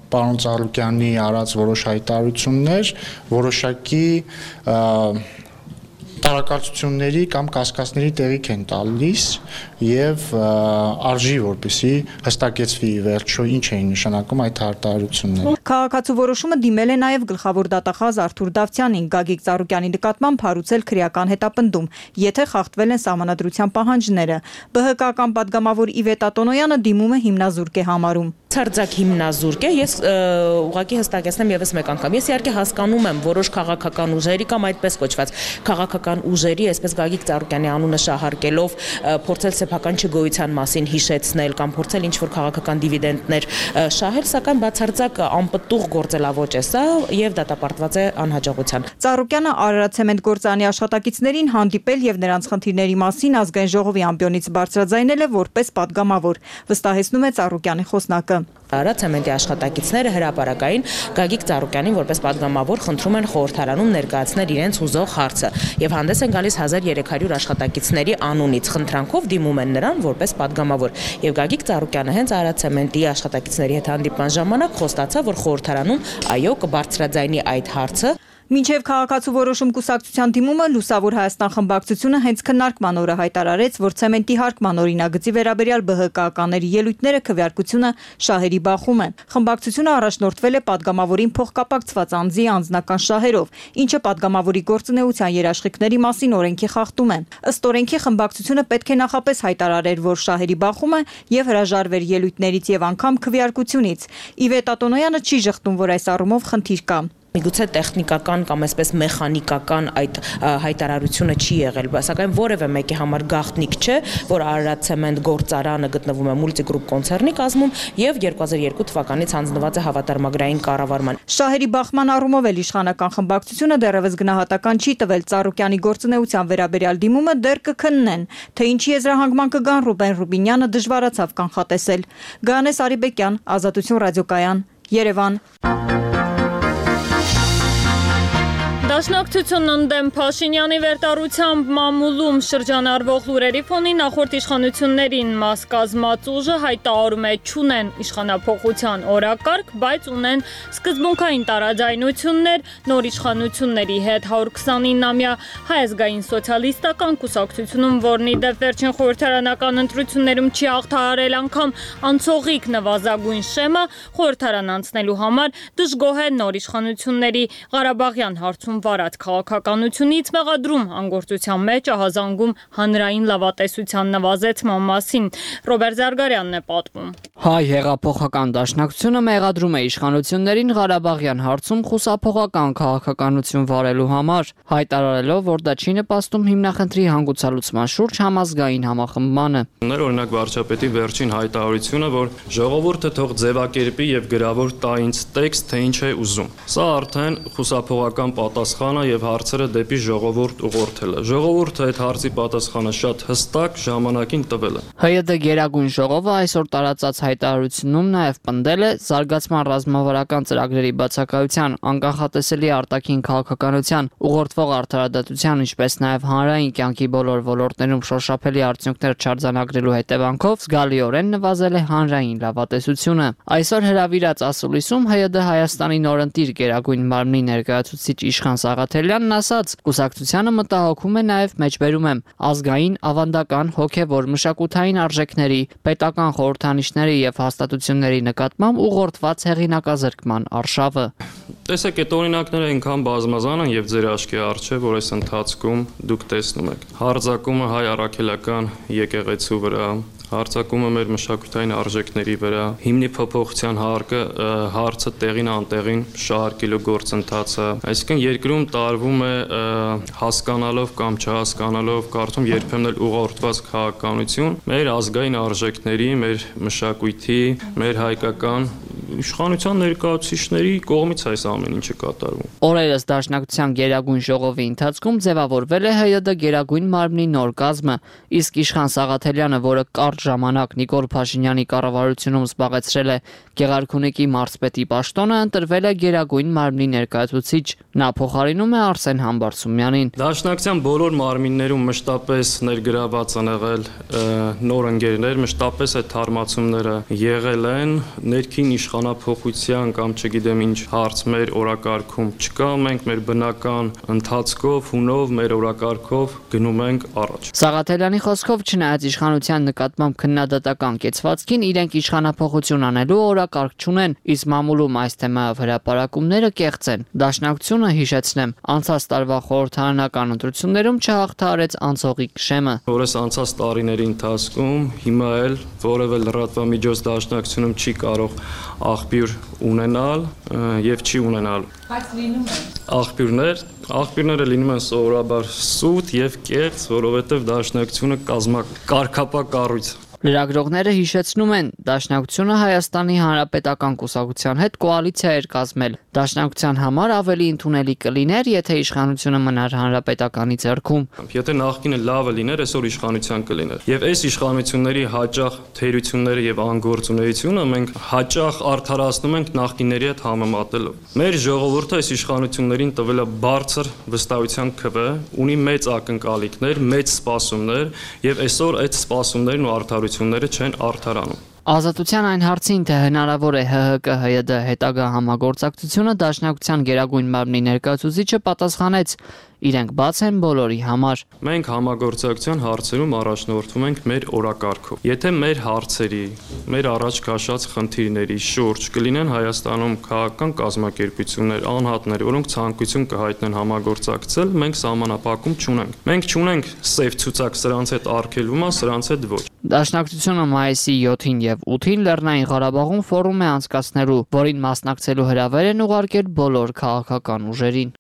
պարոն Ծառուկյանի արած որոշ հայտարարություններ որոշակի տարակարծությունների կամ կասկածների տեղիք են տալիս եւ արժի որպեսի հստակեցվի վերջո ինչ էին նշանակում այդ հայտարարությունները։ Քաղաքացու որոշումը դիմել է նաեւ գլխավոր դատախազ Արթուր Դավթյանին, Գագիկ Ծառուկյանի նկատմամբ հարուցել քրեական հետապնդում, եթե խախտվել են սահմանադրության պահանջները։ ԲՀԿ-ական պատգամավոր Իվետ Ատոնոյանը դիմումը հիմնազուրկ է համարում։ Ցարձակ հիմնազուրկ է, ես ուղղակի հստակեցնեմ եւս մեկ անգամ։ Ես իհարկե հասկանում եմ որոշ քաղաքական ուժերի կամ այդպես կոչված քաղաքական ուժերի, այսպես Գագիկ Ծառուկյանի անունը շահարկելով փորձել սեփական չգոյության մասին հիշեցնել կամ փորձել ինչ-որ քաղաքական դիվիդենտներ շահել, սակայն բացարձակ անպտուղ գործելավոճ է սա եւ դատապարտված է անհաջողության։ Ծառուկյանը Արարատ ցեմենտ գործարանի աշխատակիցներին հանդիպել եւ նրանց խնդիրների մասին ազգային ժողովի ամբիոնից բարձրաձայնել է որպես պատգամավոր, վստահեցնում է Ծառուկյանի խոսնակը։ Արարատ ցեմենտի աշխատակիցները հրապարակային Գագիկ Ծառուկյանին որպես պատգամավոր խնդրում են խորհրդարանում ներկայացնել իրենց հուզող հարցը եւ հանդես են գալիս 1300 աշխատակիցների անունից խնդրանքով դիմում են նրան որպես պատգամավոր եւ Գագիկ Ծառուկյանը հենց Արարատ ցեմենտի աշխատակիցների հետ հանդիպման ժամանակ խոստացավ, որ խորհրդարանում այո կբարձրաձայնի այդ հարցը։ Մինչև քաղաքացու որոշում կուսակցության դիմումը Լուսավոր Հայաստան խմբակցությունը հենց քննարկման օրը հայտարարեց, որ ցեմենտի հարկման օրինագծի վերաբերյալ ԲՀԿ-ականների ելույթները քվեարկությունը շահերի բախում են։ Խմբակցությունը առաջնորդվել է պատգամավորին փոխկապակցված անձի անձնական շահերով, ինչը պատգամավորի գործունեության երաշխիքների մասին օրենքի խախտում է։ Ըստ օրենքի խմբակցությունը պետք է նախապես հայտարարեր, որ շահերի բախում է եւ հրաժարվեր ելույթներից եւ անգամ քվեարկությունից։ Իվետ Ատոնոյանը չի ժխտում, որ այս առումով խնդիր կա։ Միգուցե տեխնիկական կամ այսպես մեխանիկական այդ հայտարարությունը չի եղել, սակայն որևէ մեկի համար գաղտնիք չէ, որ Արարատ ցեմենտ գործարանը գտնվում է Multigroup կոնցեռնի կազմում եւ 2002 թվականից հանձնված է հավատարմագրային կառավարման։ Շահերի բախման առումով էլ իշխանական խմբակցությունը դեռևս գնահատական չի տվել Ծառուկյանի գործունեության վերաբերյալ դիմումը դեռ կքննեն, թե ինչի եզրահանգման կգան Ռուբեն Ռուբինյանը դժվարացավ կանխատեսել։ Գանես Արիբեկյան, Ազատություն ռադիոկայան, Երևան։ Դաշնակցությունն ընդդեմ Փաշինյանի վերտարությամբ մամուլում շրջանառվող լուրերի ֆոնին նախորդ իշխանություններին մաս կազմած ուժը հայտարարում է չունեն իշխանափոխության օրակարգ, բայց ունեն սկզբունքային տարաձայնություններ նոր իշխանությունների հետ 129-ամյա Հայ ազգային սոցիալիստական կուսակցությունում, որն ի դեպ վերջին խորհրդարանական ընտրություններում չի հաղթահարել անգամ անցողիկ նվազագույն շեմը, խորհրդարան անցնելու համար դժգոհ է նոր իշխանությունների Ղարաբաղյան հարցում վարած քաղաքականությունից մեղադրում անգործության մեջ ահազանգում հանրային լավատեսության նվազեցման մասին։ Ռոբերտ Զարգարյանն է պատմում։ Հայ հեղափոխական դաշնակցությունը մեղադրում է իշխանություններին Ղարաբաղյան հարցում խուսափողական քաղաքականություն վարելու համար, հայտարարելով, որ դա չի նպաստում հիմնախնդրի հանգուցալուծման շուրջ համազգային համախմբմանը։ Օրինակ վարչապետի վերջին հայտարարությունը, որ ժողովուրդը թող ձևակերպի եւ գրավոր տա ինձ տեքստ, թե ինչ է ուզում։ Սա արդեն խուսափողական պատասխանը եւ հարցերը դեպի ժողովուրդ ուղղորդել է։ Ժողովուրդը այդ հարցի պատասխանը շատ հստակ ժամանակին տվել է։ ՀՅԴ Գերագույն ժողովը այսօր տարածած հայտարարությունում նաեւ պնդել է զարգացման ռազմավարական ծրագրերի բացակայության, անկախատեսելի արտաքին քաղաքականության, ուղղորդվող արդարադատության, ինչպես նաեւ հանրային կյանքի բոլոր ոլորտներում շոշափելի արդյունքներ չարձանագրելու հետևանքով զգալիորեն նվազել է հանրային լավատեսությունը։ Այսօր հրավիրած ասուլիսում ՀՅԴ Հայաստանի նորընտիր Գերագույն մարմնի ներկայացուցիչ Իշխան Սաղաթելյանն ասաց. կուսակցությանը մտահոգում է նաև մեջբերում եմ ազգային, ավանդական, հոգևոր, մշակութային արժեքների, պետական խորհրդանիշների եւ հաստատությունների նկատմամբ ուղղորդված հեղինակազրկման արշավը։ Տեսեք, այդ օրինակները այնքան բազմազան են եւ ձեր աչքի առջեւ, որ այս ընթացքում դուք տեսնում եք։ Հարձակումը հայ առաքելական եկեղեցու վրա, հարձակումը մեր մշակութային արժեքների վրա, հիմնի փոփոխության հարցը տեղին անտեղին շահարկելու գործընթացը, այսինքն երկրում տարվում է հասկանալով կամ չհասկանալով, կարծում երբեմն էլ ուղղորդված քաղաքականություն մեր ազգային արժեքների, մեր մշակույթի, մեր հայկական իշխանության ներկայացուցիչների կողմից այս ամեն ինչը կատարվում։ Օրերս Դաշնակցության Գերագույն ժողովի ընթացքում ձևավորվել է ՀՅԴ Գերագույն մարմնի նոր կազմը, իսկ Իշխան Սաղաթելյանը, որը կարճ ժամանակ Նիկոլ Փաշինյանի կառավարությունում զբաղեցրել է Գեղարքունիքի մարզպետի պաշտոնը, ընտրվել է Գերագույն մարմնի ներկայացուցիչ։ Նա փոխարինում է Արսեն Համբարձումյանին։ Դաշնակցության բոլոր մարմիններում մշտապես ներգրաված են եղել նոր ընկերներ, մշտապես այդ թարմացումները եղել են, ներքին իշխանափոխության կամ չգիտեմ ինչ հարց մեր օրակարգում չկա, մենք մեր բնական ընթացքով, հունով, մեր օրակարգով գնում ենք առաջ։ Սաղաթելյանի խոսքով, չնայած իշխանության նկատմամբ քննադատական կեցվածքին, իրենք իշխանափոխություն անելու օրակարգ չունեն, իսկ մամուլում այս թեմայով հրապարակումները կեղծ են։ Դաշնակցությունը, հիշեցնեմ, անցած տարվա խորհրդարանական ընտրություններում չհաղթահարեց անցողիկ շեմը։ Որս անցած տարիների ընթացքում հիմա էլ որևէ լրատվամիջոց դաշնակցությունում չի կարող աղբյուր ունենալ եւ չի ունենալ։ Բայց լինում են Աղբյուրները լինում են սովորաբար սուտ եւ կեղծ, որովհետեւ դաշնակցությունը կարգապահ կառույց։ Լրագրողները հիշեցնում են, Դաշնակցությունը Հայաստանի Հանրապետական կուսակցության հետ կոալիցիա էր կազմել։ Դաշնակցության համար ավելի ընդունելի կլիներ, եթե իշխանությունը մնար Հանրապետականի ձեռքում։ Եթե նախկինը լավը լիներ, այսօր իշխանության կլիներ։ Եվ այս իշխանությունների հաճախ թերությունները եւ անգործունեությունը մենք հաճախ արդարացնում ենք նախկինների հետ համեմատելով։ Մեր ժողովուրդը այս իշխանություններին տվել է բարձր վստահության քվե, ունի մեծ ակնկալիքներ, մեծ սպասումներ եւ այսօր այդ սպասումներն ու արդարությունները չեն արդարանում։ Ազատության այն հարցին, թե հնարավոր է ՀՀԿ-ՀՅԴ հետագա համագործակցությունը, Դաշնակցության Գերագույն մարմնի ներկայացուցիչը պատասխանեց. իրենք բաց են բոլորի համար։ Մենք համագործակցության հարցերում առաջնորդվում ենք մեր օրակարգով։ Եթե մեր հարցերի, մեր առաջ քաշած խնդիրների շուրջ կլինեն Հայաստանում քաղաքական կազմակերպություններ, անհատներ, որոնք ցանկություն կհայտնեն համագործակցել, մենք սահմանափակում չունենք։ Մենք չունենք սև ցուցակ, սրանց հետ արգելվում է, սրանց հետ ոչ։ Դաշնակցությունը մայիսի 7-ին եւ 8-ին Լեռնային Ղարաբաղում ֆորում է անցկացնելու, որին մասնակցելու հրավեր են ուղարկել բոլոր քաղաքական ուժերին։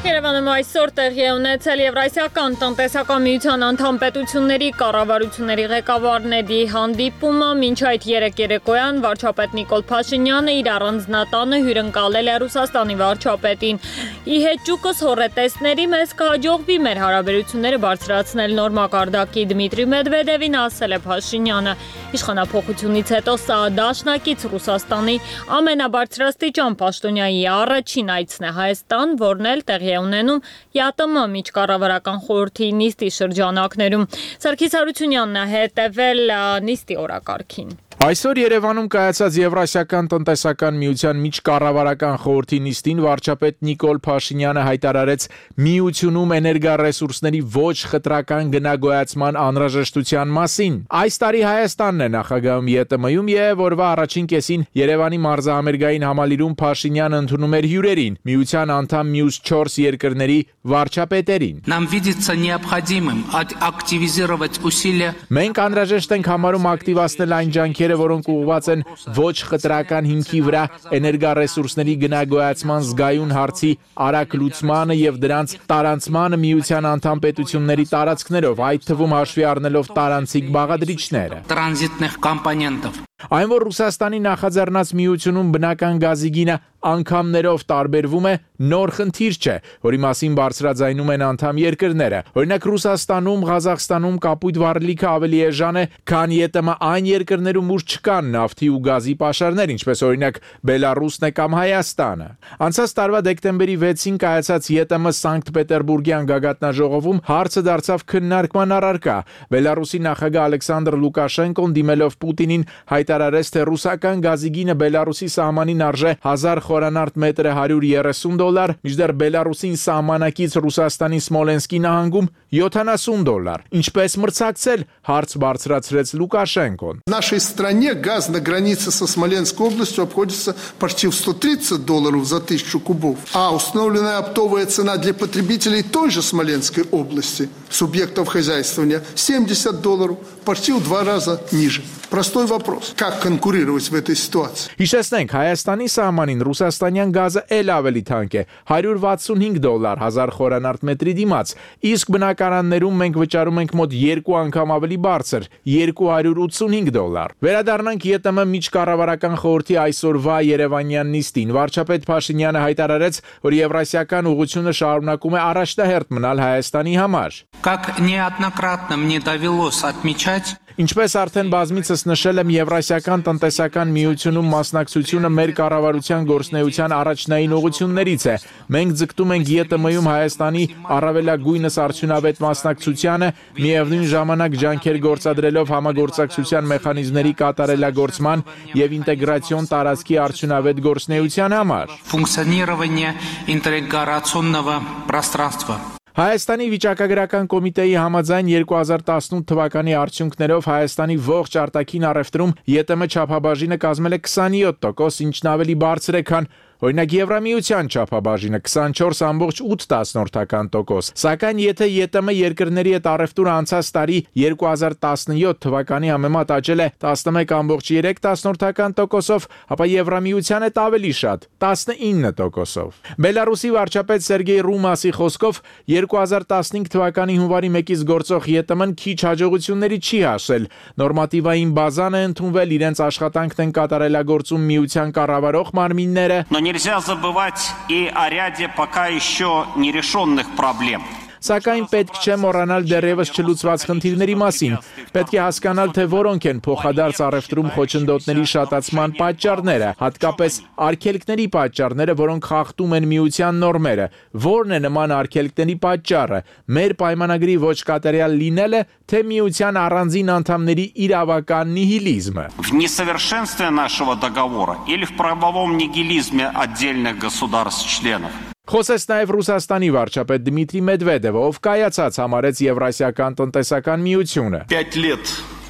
Երևանում այսօր տեղի է ունեցել Եվրասիական տնտեսական միության անդամ պետությունների կառավարությունների ղեկավարների հանդիպումը, մինչ այդ երեկոյան վարչապետ Նիկոլ Փաշինյանը իր առանձնատանը հյուրընկալել է Ռուսաստանի վարչապետին։ Ի հեճուկս հոռետեսների մեզ կհաջողվի մեր հարաբերությունները բարձրացնել նոր մակարդակի Դմիտրի Մեդվեդևին, ասել է Փաշինյանը։ Իշխանափոխությունից հետո սա դաշնակից Ռուսաստանի ամենաբարձրաստիճան պաշտոնյայի առաջին այցն է Հայաստան, որն էլ տեղի է ունենում ԵԱՏՄ միջկառավարական խորհրդի նիստի շրջանակներում։ Սարգիս Հարությունյանն է հետևել նիստի օրակարգին։ Այսօր Երևանում կայացած Եվրասիական տնտեսական միության միջկառավարական խորհրդի նիստին վարչապետ Նիկոլ Փաշինյանը հայտարարեց միությունում էներգառեսուրսների ոչ խտրական գնագոյացման անհրաժեշտության մասին։ Այս տարի Հայաստանն է նախագահում ԵՏՄ-ում եւ օրվա առաջին կեսին Երևանի մարզահամերգային համալիրում Փաշինյանը ընդունում էր հյուրերին, միության անդամ մյուս 4 երկրների վարչապետերին։ Нам видится необходимым активизировать усилия. Մենք անհրաժեշտ ենք համարում ակտիվացնել այն ջանքերը, որոնք ուղղված են ոչ խտրական հիմքի վրա էներգառեսուրսների գնագոյացման զգայուն հարցի արագ լուծմանը եւ դրանց տարանցմանը միության անդամ պետությունների տարածքներով, այդ թվում հաշվի առնելով տարանցիկ բաղադրիչները։ Տրանզիտных компонентов. Այն որ Ռուսաստանի նախաձեռնած միությունում բնական գազի գինը անգամներով տարբերվում է, նոր խնդիր չէ, որի մասին բարձրաձայնում են անդամ երկրները։ Օրինակ Ռուսաստանում, Ղազախստանում կապույտ վառելիքը ավելի էժան է, քան ԵՏՄ այն երկրներում, ուր չկան նավթի ու գազի պաշարներ, ինչպես օրինակ Բելարուսն է կամ Հայաստանը։ Անցած տարվա դեկտեմբերի 6-ին կայացած ԵՏՄ Սանկտ Պետերբուրգյան գագաթնաժողովում հարցը դարձավ քննարկման առարկա։ Բելարուսի նախագահ Ալեքսանդր Լուկաշենկոն դիմելով Պուտինին հայտարարեց, թե ռուսական գազի գինը Բելարուսի սահմանին արժե 1000 խորանարդ մետրը $130, մինչդեռ Բելարուսին սահմանակից Ռուսաստանի Սմոլենսկի նահանգում $70։ Ինչպես մրցակցել, հարց բարձրացրեց Լուկաշենկոն։ В нашей стране газ на границе со Смоленской областью обходится почти в $130 за 1000 кубов, а установленная оптовая цена для потребителей той же Смоленской области, субъектов хозяйствования, $70, почти в 2 раза ниже. Простой вопрос. Как конкурировать в этой ситуации? Հիշեցնենք, Հայաստանի սահմանին ռուսաստանյան գազը էլ ավելի թանկ է, $165 1000 խորանարդ մետրի դիմաց, իսկ բնակարաններում մենք վճարում ենք մոտ 2 անգամ ավելի բարձր, $285։ Վերադառնանք ԵՏՄ միջկառավարական խորհրդի այսօրվա Երևանյան նիստին։ Վարչապետ Փաշինյանը հայտարարեց, որ Եվրասիական ուղղությունը շարունակում է առաջնահերթ մնալ Հայաստանի համար։ Как неоднократно мне довелось отмечать, Ինչպես արդեն բազմիցս նշել եմ, Եվրասիական տնտեսական միությունում մասնակցությունը մեր կառավարության գործունեության առաջնային ուղղություններից է։ Մենք ձգտում ենք ԵՏՄ-ում Հայաստանի առավելագույնս արդյունավետ մասնակցությանը, միևնույն ժամանակ ջանքեր գործադրելով համագործակցության մեխանիզմների կատարելագործման եւ ինտեգրացիոն տարածքի արդյունավետ գործունեության համար։ Функционирование интеграционного пространства. Հայաստանի վիճակագրական կոմիտեի համաձայն 2018 թվականի արդյունքներով Հայաստանի ողջ արտաքին առևտրում ԵՏՄ չափաբաժինը կազմել է 27%, ինչն ավելի բարձր է, քան օրինակ Եվրամիության չափաբաժինը 24.8%, սակայն եթե ԵՏՄ երկրների հետ առևտուրը անցած տարի 2017 թվականի համեմատ աճել է 11.3%, ապա Եվրամիության հետ ավելի շատ 19%։ Բելարուսի վարչապետ Սերգեյ Ռումասի խոսքով 2015 թվականի հունվարի 1-ից գործող ԵՏՄ-ն քիչ հաջողությունների չի հասել։ Նորմատիվային բազան է ընդունվել, իրենց աշխատանքն են կատարելագործում միության կառավարող մարմինները։ Нельзя забывать и о ряде пока еще нерешенных проблем. Սակայն պետք չէ մոռանալ դեռևս չլուծված խնդիրների մասին։ Պետք է հասկանալ, թե որոնք են փոխադարձ առևտրում խոչընդոտների շատացման պատճառները, հատկապես արգելքների պատճառները, որոնք խախտում են միության նորմերը։ Որն է նման արգելքների պատճառը։ Մեր պայմանագրի ոչ կատարյալ լինելը, թե միության առանձին անդամների իրավական նիհիլիզմը։ В несовершенстве нашего договора или в правовом нигилизме отдельных государств-членов. Խոսեց նաև Ռուսաստանի վարչապետ Դմիտրի Մեդվեդևը, ով կայացած համարեց Եվրասիական տնտեսական միությունը։ 5 лет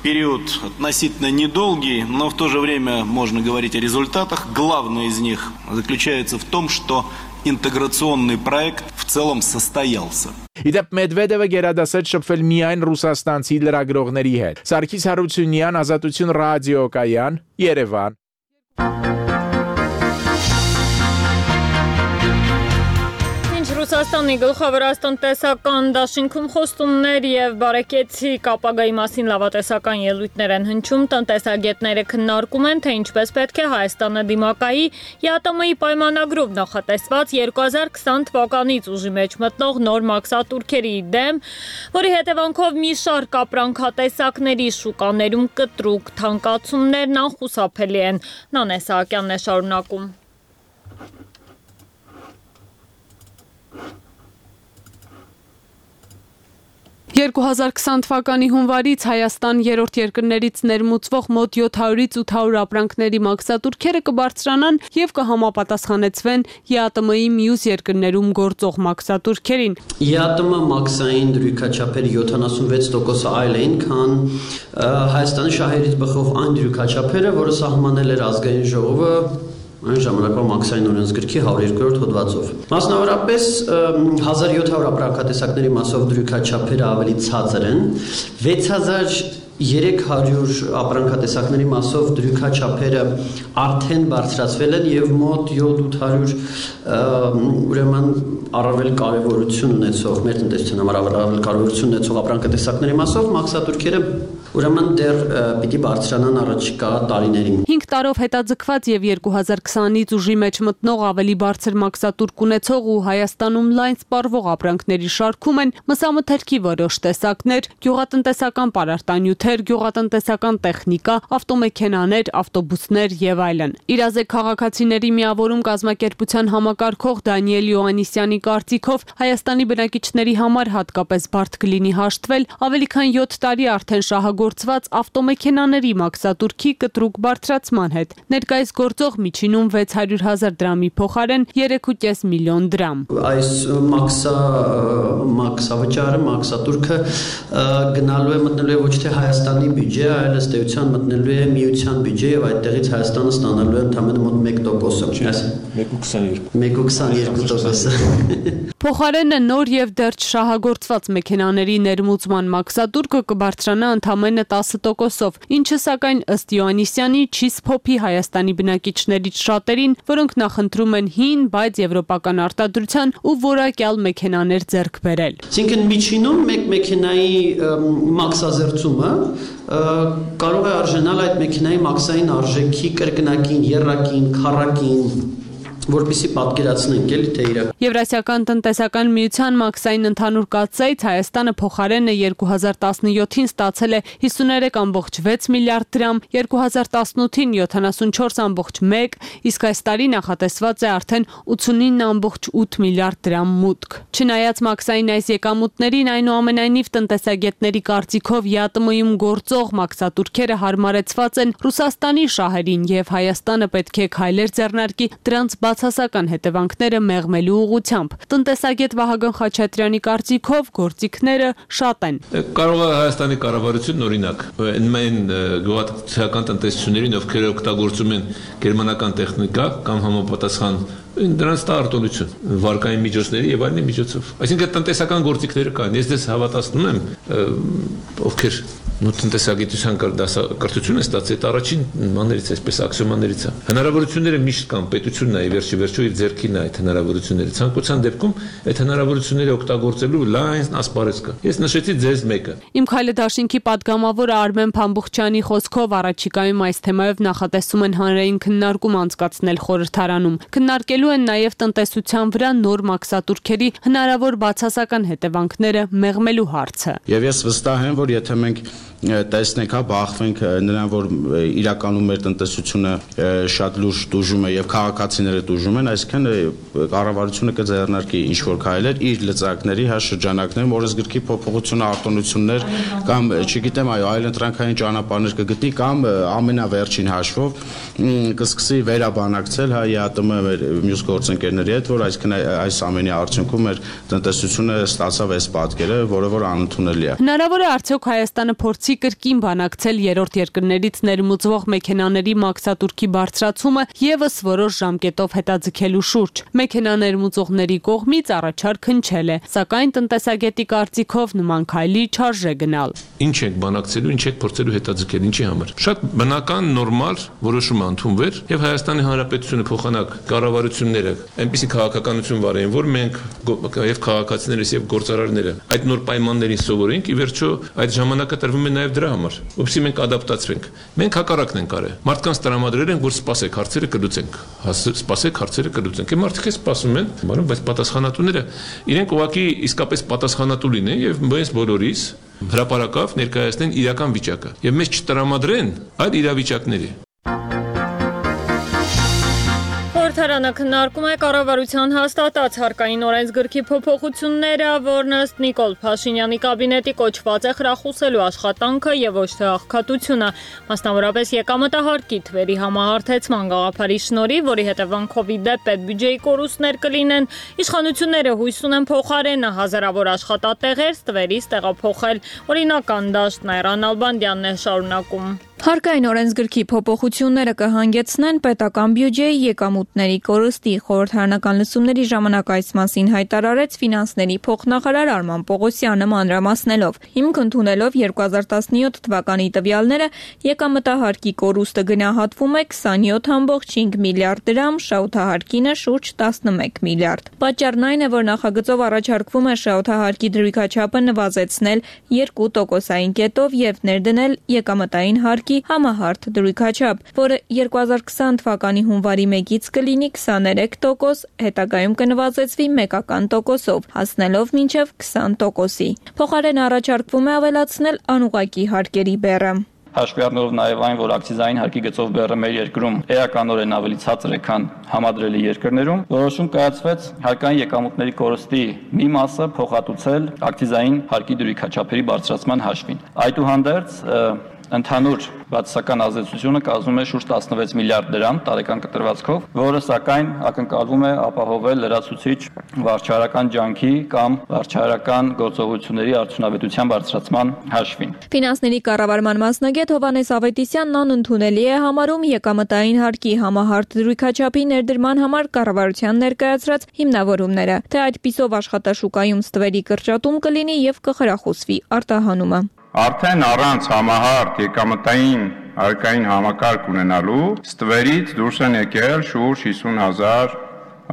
период относительно недолгий, но в то же время можно говорить о результатах. Главное из них заключается в том, что интеграционный проект в целом состоялся. Իդեպ Մեդվեդևը գերադասեց շփվել միայն ռուսաստանցի լրագրողների հետ։ Սարգիս Հարությունյան, Ազատություն ռադիոկայան, Երևան։ Ռուսաստանի գլխավոր տնտեսական դաշինքում խոստումներ եւ բարեկեցիկ ապագայի մասին լավատեսական ելույթներ են հնչում, տնտեսագետները քննարկում են, թե ինչպես պետք է Հայաստանը դիմակայի ԵԱՏՄ-ի պայմանագրով նախատեսված 2020 թվականից ուժի մեջ մտնող նոր մաքսատուրքերի դեմ, որի հետևանքով մի շարք ապրանքատեսակների շուկաներում կտրուկ թանկացումներն անխուսափելի են։ Նանե Սահակյանն է շարունակում։ 2020 թվականի հունվարից Հայաստան երրորդ երկրներից ներմուծվող մոտ 700-ից 800 ապրանքների մաքսատուրքերը կբարձրանան եւ կհամապատասխանեցվեն ԵԱՏՄ-ի մյուս երկրներում գործող մաքսատուրքերին։ ԵԱՏՄ մաքսային դրույքաչափերի 76% այլ էին, քան Հայաստանի շահերից բխող այն դրույքաչափերը, որը սահմանել էր ազգային ժողովը այն ժամանակվա մաքսային օրենսգրքի 102-րդ հոդվածով։ Մասնավորապես 1700 ապրանքատեսակների մասով դրույքաչափերը ավելի ցածր են, 6300 ապրանքատեսակների մասով դրույքաչափերը արդեն բարձրացվել են եւ մոտ 700 ուրեմն առավել կարևորություն ունեցող մեր տնտեսության համար առավել կարևորություն ունեցող ապրանքատեսակների մասով մաքսատուրքերը ուրեմն դեռ պիտի բարձրանան առաջիկա տարիներին։ 5 տարով հետաձգված եւ 2020-ից ուժի մեջ մտնող ավելի բարձր մաքսատուրք ունեցող ու Հայաստանում լայն սպառվող ապրանքների շարքում են մսամթերքի որոշ տեսակներ, գյուղատնտեսական պարարտանյութեր, գյուղատնտեսական տեխնիկա, ավտոմեքենաներ, ավտոբուսներ եւ այլն։ Իրազեկ քաղաքացիների միավորում կազմակերպության համակարգող Դանիել Յոհաննիսյանի կարծիքով Հայաստանի բնակիչների համար հատկապես բարդ կլինի հաշտվել ավելի քան 7 տարի արդեն շահագործված ավտոմեքենաների մաքսատուրքի կտրուկ բարձրացման հետ։ Ներկայիս գործող միջինում 600,000 դրամի փոխարեն 3.5 միլիոն դրամ։ Այս մաքսավճարը, մաքսատուրքը գնալու է մտնելու է ոչ թե Հայաստանի բյուջե, այլ ըստ էության մտնելու է միության բյուջե եւ այդտեղից Հայաստանը ստանալու է ընդամենը մոտ 1%։ 1.22%։ Փոխարենը նոր եւ դեռ չշահագործված մեքենաների ներմուծման մաքսատուրքը կբարձրանա ընդամենը 10%-ով, ինչը սակայն ըստ Յոհաննիսյանի չի սփոփի Հայաստանի բնակիչներից շատերին, որոնք նախընտրում են հին, բայց եվրոպական արտադրության ու որակյալ մեքենաներ ձեռք բերել։ Այսինքն միջինում մեկ մեքենայի մաքսազերծումը կարող է արժանալ այդ մեքենայի մաքսային արժեքի կրկնակին, եռակին, քառակին, որպեսզի պատկերացնենք էլի թե իրական։ Եվրասիական տնտեսական միության մաքսային ընդհանուր կացայից Հայաստանը փոխարենը 2017-ին ստացել է 53.6 միլիարդ դրամ, 2018-ին 74.1, իսկ այս տարի նախատեսված է արդեն 89.8 միլիարդ դրամ մուտք։ Չնայած մաքսային այս եկամուտներին, այնուամենայնիվ տնտեսագետների կարծիքով ԵԱՏՄ-ում գործող մաքսատուրքերը հարմարեցված են Ռուսաստանի շահերին եւ Հայաստանը պետք է քայլեր ձեռնարկի դրանց բացասական հետևանքները մեղմելու ուղղությամբ։ Տնտեսագետ Վահագն Խաչատրյանի կարծիքով գործիքները շատ են։ Կարող է Հայաստանի կառավարությունն օրինակ այն գյուղատնտեսական տնտեսություններին, ովքեր օգտագործում են գերմանական տեխնիկա կամ համապատասխան դրանց տա արտոնություն, վարկային միջոցների եւ այլնի միջոցով։ Այսինքն տնտեսական գործիքները կան։ Ես դες հավատացնում եմ, ովքեր տնտեսագիտության կրթություն է ստացել, այդ առաջին մաներից, այսպես աքսիոմաներից է։ Հնարավորությունները միշտ կան, պետությունն է վերջի իր ձեռքին է այդ հնարավորությունները։ Ցանկության դեպքում այդ հնարավորությունները օգտագործելու լայն ասպարեզ կա։ Ես նշեցի ձեզ մեկը։ Իմ քայլը դաշինքի падգամավորը Արմեն Փամբուխչյանի խոսքով առաջիկայում այս թեմայով նախատեսում են հանրային քննարկում անցկացնել խորհրդարանում։ Քննարկելու են նաև տնտեսության վրա նոր մաքսատուրքերի հնարավոր բացասական հետևանքները մեղմելու հարցը։ Եվ ես վստահ եմ, որ եթե մենք տեսնենք, բախվենք նրան, որ իրականում մեր տնտեսությունը շատ լուրջ տուժում է եւ քաղաքացիները տուժում են, այսինքն կառավարությունը կձեռնարկի ինչ-որ քայլեր իր լծակների շրջանակներում օրենսգրքի փոփոխություն, արտոնություններ կամ չգիտեմ, այլընտրանքային ճանապարհներ կգտնի կամ ամենավերջին հաշվով կսկսի վերաբանակցել ԵԱՏՄ մեր մյուս գործընկերների հետ, որ այսինքն այս ամենի արդյունքում մեր տնտեսությունը ստացավ այս պատկերը, որը որ անընդունելի է։ Հնարավոր է արդյոք Հայաստանը փորձի չի կրկին բանակցել երրորդ երկրներից ներմուծվող մեքենաների մաքսատուրքի բարձրացումը եւս որոշ ժամկետով հետաձգելու շուրջ։ Մեքենա ներմուծողների կողմից առաջարկ հնչել է, սակայն տնտեսագետի կարծիքով նման քայլի չարժե գնալ։ Ինչ եք բանակցելու, ինչ եք փորձելու հետաձգել, ինչի համար։ Շատ բնական, նորմալ որոշում ընդունվեր եւ Հայաստանի Հանրապետությունը փոխանակ կառավարությունները այնպիսի քաղաքականություն վարեն, որ մենք եւ քաղաքացիներս եւ գործարարները այդ նոր պայմաններին սովորենք, ի վերջո այդ ժամանակը տրվում է նաեւ դրա համար, որովհետեւ մենք ադապտացվենք։ Մենք հակառակն ենք արել։ Մարդկանց տրամադրել են, որ սպասեք, հարցերը կլուծենք։ Սպասեք, հարցերը կլուծենք։ Այդ մարդիկ սպասում են, բայց պատասխանատուները իրենք ուղղակի իսկապես պատասխանատու լինեն եւ մենք բոլորիս հրապարակավ ներկայացնեն իրական վիճակը եւ մեզ չտրամադրեն այլ իրավիճակների։ Խորհրդարանը քննարկում է կառավարության հաստատած հարկային օրենսգրքի փոփոխությունները, որն ըստ Նիկոլ Փաշինյանի կաբինետի կոչված է խրախուսելու աշխատանքը եւ ոչ թե աղքատությունը, մասնավորապես եկամտահարկի թվերի համահարթեցման գաղափարի շնորհիվ, որի հետևանքով ի դեպ պետբյուջեի կորուստներ կլինեն, իշխանությունները հույս ունեն փոխարենը հազարավոր աշխատատեղեր ստվերից տեղափոխել։ Օրինական դաշտն Այռան Ալբանդյանն է շարունակում։ Հարկային օրենսգրքի փոփոխությունները կհանգեցնեն պետական բյուջեի եկամուտների կորստի։ Խորհրդարանական լսումների ժամանակ այս մասին հայտարարեց ֆինանսների փոխնախարար Արման Պողոսյանը մանրամասնելով։ Հիմք ընդունելով 2017 թվականի տվյալները, եկամտահարկի կորուստը գնահատվում է 27.5 միլիարդ դրամ, շահութահարկինը շուրջ 11 միլիարդ։ Պատճառն այն է, որ նախագծով առաջարկվում է շահութահարկի դրույքաչափը նվազեցնել 2%-ային կետով եւ ներդնել եկամտային հարկի համահարթ դրույքաչափ, որը 2020 թվականի հունվարի 1-ից կլինի 23%, հետագայում կնվազեցվի 1%-ով, հասնելով մինչև 20%-ի։ Փոխարեն առաջարկվում է ավելացնել անուղղակի հարկերի բեռը։ Հաշվի առնելով նաև այն, որ ակցիզային հարկի գծով բեռը մեր երկրում էականորեն ավելի ցածր է, քան համադրելի երկրներում, որոշում կայացվեց հարկային եկամուտների կորստի մի մասը փոխհատուցել ակցիզային հարկի դրույքաչափերի բարձրացման հաշվին։ Այդուհանդերձ ընդհանուր բացասական ազդեցությունը կազմում է շուրջ 16 միլիարդ դրամ տարեկան կտրվածքով, որը սակայն ակնկալվում է ապահովել լրացուցիչ վարչարական ջանքի կամ վարչարական գործողությունների արդյունավետության բարձրացման հաշվին։ Ֆինանսների կառավարման մասնագետ Հովհաննես Ավետիսյանն անընդունելի է համարում եկամտային հարկի համահարթ դրույքաչափի ներդրման համար կառավարության ներկայացրած հիմնավորումները, թե այդպիսով աշխատաշուկայում ստվերի կրճատում կլինի եւ կխրախուսվի արտահանումը։ Արդեն առանց համահարթ եկամտային հարկային համակարգ ունենալու ստվերից դուրս են եկել շուրջ 50,000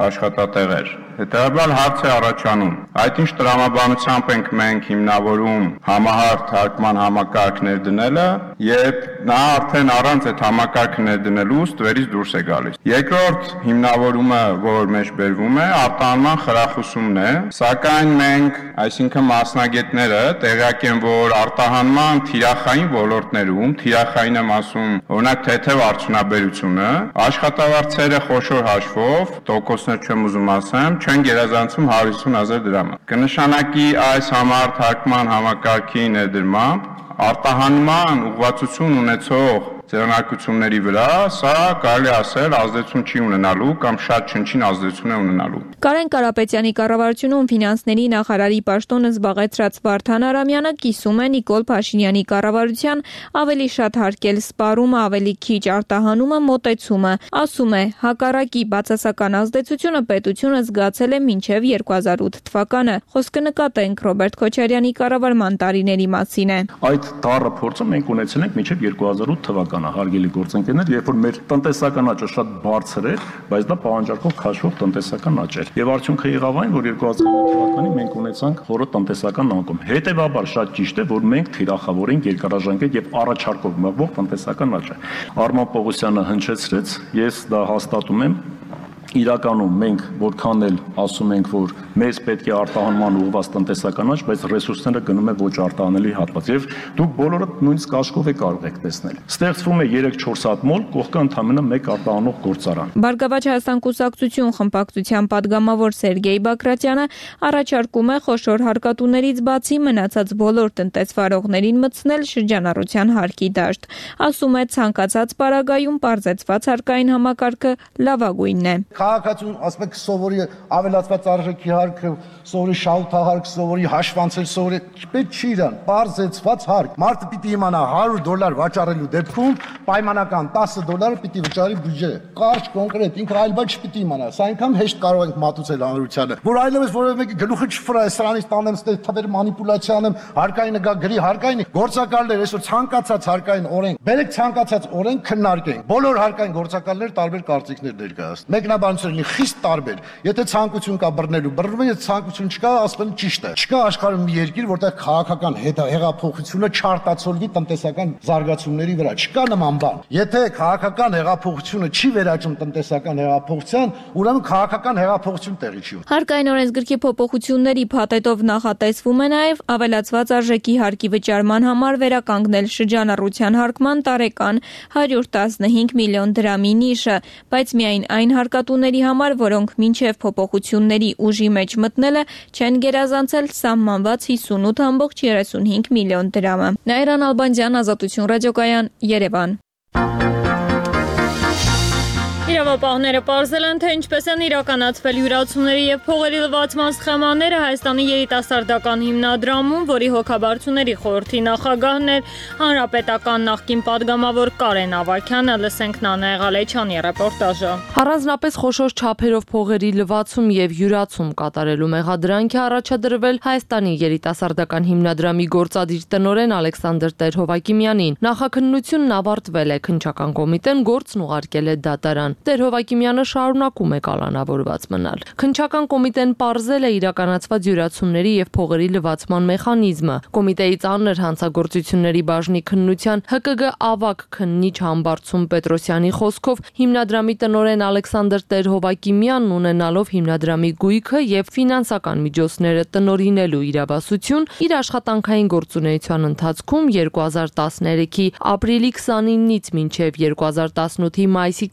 աշխատատեղեր։ Հետևաբար հարց է առաջանում, այդ ինչ տրամաբանությամբ ենք մենք հիմնավորում համահարթ հարկման համակարգ ներդնելը, եւ նա արդեն առանց այդ համակարգը ներդնելու ստվերից դուրս է գալիս։ Երկրորդ հիմնավորումը, որ մեջ բերվում է, արտահանման խրախուսումն է, սակայն մենք, այսինքն մասնագետները, տեղյակ են, որ արտահանման թիրախային ոլորտներում, թիրախային եմ ասում, օրինակ թեթև արդյունաբերությունը, աշխատավարձերը խոշոր հաշվով, տոկոսներ չեմ ուզում ասեմ, չեն գերազանցում 150,000 դրամը։ Կնշանակի այս համահարթ հարկման համակարգի ներդրմամբ արտահանման ուղղվածություն ունեցող ձեռնարկությունների վրա, սա կարելի ասել ազդեցություն չի ունենալու կամ շատ չնչին ազդեցություն է ունենալու։ Կարեն Կարապետյանի կառավարությունում ֆինանսների նախարարի պաշտոնը զբաղեցրած Վարդան Արամյանը կիսում է Նիկոլ Փաշինյանի կառավարության ավելի շատ հարկել սպառումը, ավելի քիչ արտահանումը մոտեցումը։ Ասում է, հակառակի բացասական ազդեցությունը պետությունը զգացել է մինչև 2008 թվականը։ Խոսքը նկատենք Ռոբերտ Քոչարյանի կառավարման տարիների մասին է։ Այդ դառը փորձը մենք ունեցել ենք մինչև 2008 թվականը, հարգելի գործընկերներ, երբ որ մեր տնտեսական աճը շատ բարձր էր, բայց դա պահանջարկով քաշվող տնտեսական աճ էր։ Եվ արդյունքը եղավ այն, որ 2008 թվականին մենք ունեցանք խորը տնտեսական անկում։ Հետևաբար շատ ճիշտ է, որ մենք թիրախավորենք երկարաժամկետ եւ առաջարկով մղվող տնտեսական աճը։ Արման Պողոսյանը հնչեցրեց, ես դա հաստատում եմ։ Իրականում մենք որքան էլ ասում ենք, որ մեզ պետք է արտահանման ուղղված տնտեսական աճ, բայց ռեսուրսները գնում է ոչ արտահանելի հատված եւ դուք բոլորը նույնիսկ աշխով է կարող եք տեսնել։ Ստեղծվում է 3-4 հատ մոլ, կողքը ընդամենը 1 արտահանող գործարան։ Բարգավաճ Հայաստան կուսակցություն խմբակցության падգամավոր Սերգեյ Բակրատյանը առաջարկում է խոշոր հարկատուներից բացի մնացած բոլոր տնտեսվարողներին մտցնել շրջանառության հարկի դաշտ։ Ասում է ցանկացած պարագայում պարզեցված հարկային համակարգը լավագույնն է։ քաղաքացու, ասում եք, սովորի ավելացված արժեքի հարկ, սովորի շահութահարկ, սովորի հաշվանցել, սովորի պետք չի իրան, բարձեցված հարկ։ Մարդը պիտի իմանա $100 վաճառելու դեպքում պայմանական $10 պիտի վճարի բյուջե։ Կարճ, կոնկրետ, ինքը այլ բան չպիտի իմանա։ Սա այնքան հեշտ կարող ենք մատուցել հանրությանը, որ այլևս որևէ մեկի գլուխը չֆրա, սրանից տանեմ, թվեր մանիպուլյացիա անեմ, հարկային գա գրի հարկային գործակալներ, այսօր ցանկացած հարկային օրենք, բերեք ցանկացած օրենք քննարկենք։ Բոլոր հարկային գործակալներ տարբեր կարծիքներ ներկայացնում։ Մեկնաբանությունների խիստ տարբեր։ Եթե ցանկություն կա բռնելու, բռնում են, եթե ցանկություն չկա, ասում են ճիշտ է։ Չկա աշխարհում մի երկիր, որտեղ քաղաքական հեղափոխությունը չարտացոլվի տնտեսական զարգացումների վրա։ Չկա նման բան։ Եթե քաղաքական հեղափոխությունը չի վերաճում տնտեսական հեղափոխության, ուրեմն քաղաքական հեղափոխություն տեղի չի ունենում։ Հարկային օրենսգրքի փոփոխությունների փաթեթով նախատեսվում է նաև ավելացված արժեքի հարկի վճարման համար վերականգնել շրջանառության հարկման տարեկան 115 միլիոն դրամի նիշը, բայց միայն այն հարկատուների համար, որոնք մինչև փոփոխությունների ուժի մեջ մտնելը չեն գերազանցել սահմանված 58.35 միլիոն դրամը։ Նաիրան Ալբանդյան, Ազատություն ռադիոկայան, Երևան։ Իրավապահները պարզել են, թե ինչպես են իրականացվել յուրացումների և փողերի լվացման սխեմաները Հայաստանի երիտասարդական հիմնադրամում, որի հոգաբարձուների խորհրդի նախագահն էր հանրապետական նախկին պատգամավոր Կարեն Ավագյանը, լսենք Նանա Եղալեչյանի ռեպորտաժը։ Առանձնապես խոշոր չափերով փողերի լվացում և յուրացում կատարելու մեղադրանք է առաջադրվել Հայաստանի երիտասարդական հիմնադրամի գործադիր տնօրեն Ալեքսանդր Տեր-Հովակիմյանին։ Նախաքննությունն ավարտվել է, քննչական կոմիտեն գործն ուղարկել է դատարան։ Տեր-Հովակիմյանը շարունակում է կալանավորված մնալ։ Քննչական կոմիտեն պարզել է իրականացված յուրացումների և փողերի լվացման մեխանիզմը։ Կոմիտեի ծանր հանցագործությունների բաժնի քննության ՀԿԳ ավագ քննիչ Համբարձում Պետրոսյանի խոսքով հիմնադրամի տնօրեն Ալեքսանդր Տեր-Հովակիմյանն ունենալով հիմնադրամի գույքը և ֆինանսական միջոցները տնօրինելու իրավասություն, իր աշխատանքային գործունեության ընթացքում 2013-ի ապրիլի 29-ից մինչև 2018-ի մայիսի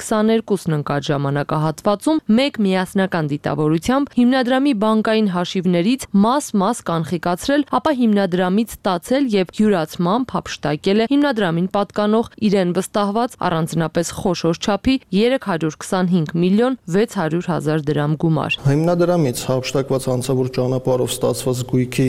22-ն ընկած ժամանակահատվածում մեկ միասնական դիտավորությամբ հիմնադրամի բանկային հաշիվներից մաս կանխիկացրել, ապա հիմնադրամից ստացել եւ յուրացմամբ հափշտակել է հիմնադրամին պատկանող իրեն վստահված առանձնապես խոշոր չափի 325 միլիոն 600 հազար դրամ գումար։ Հիմնադրամից հափշտակված հանցավոր ճանապարհով ստացված գույքի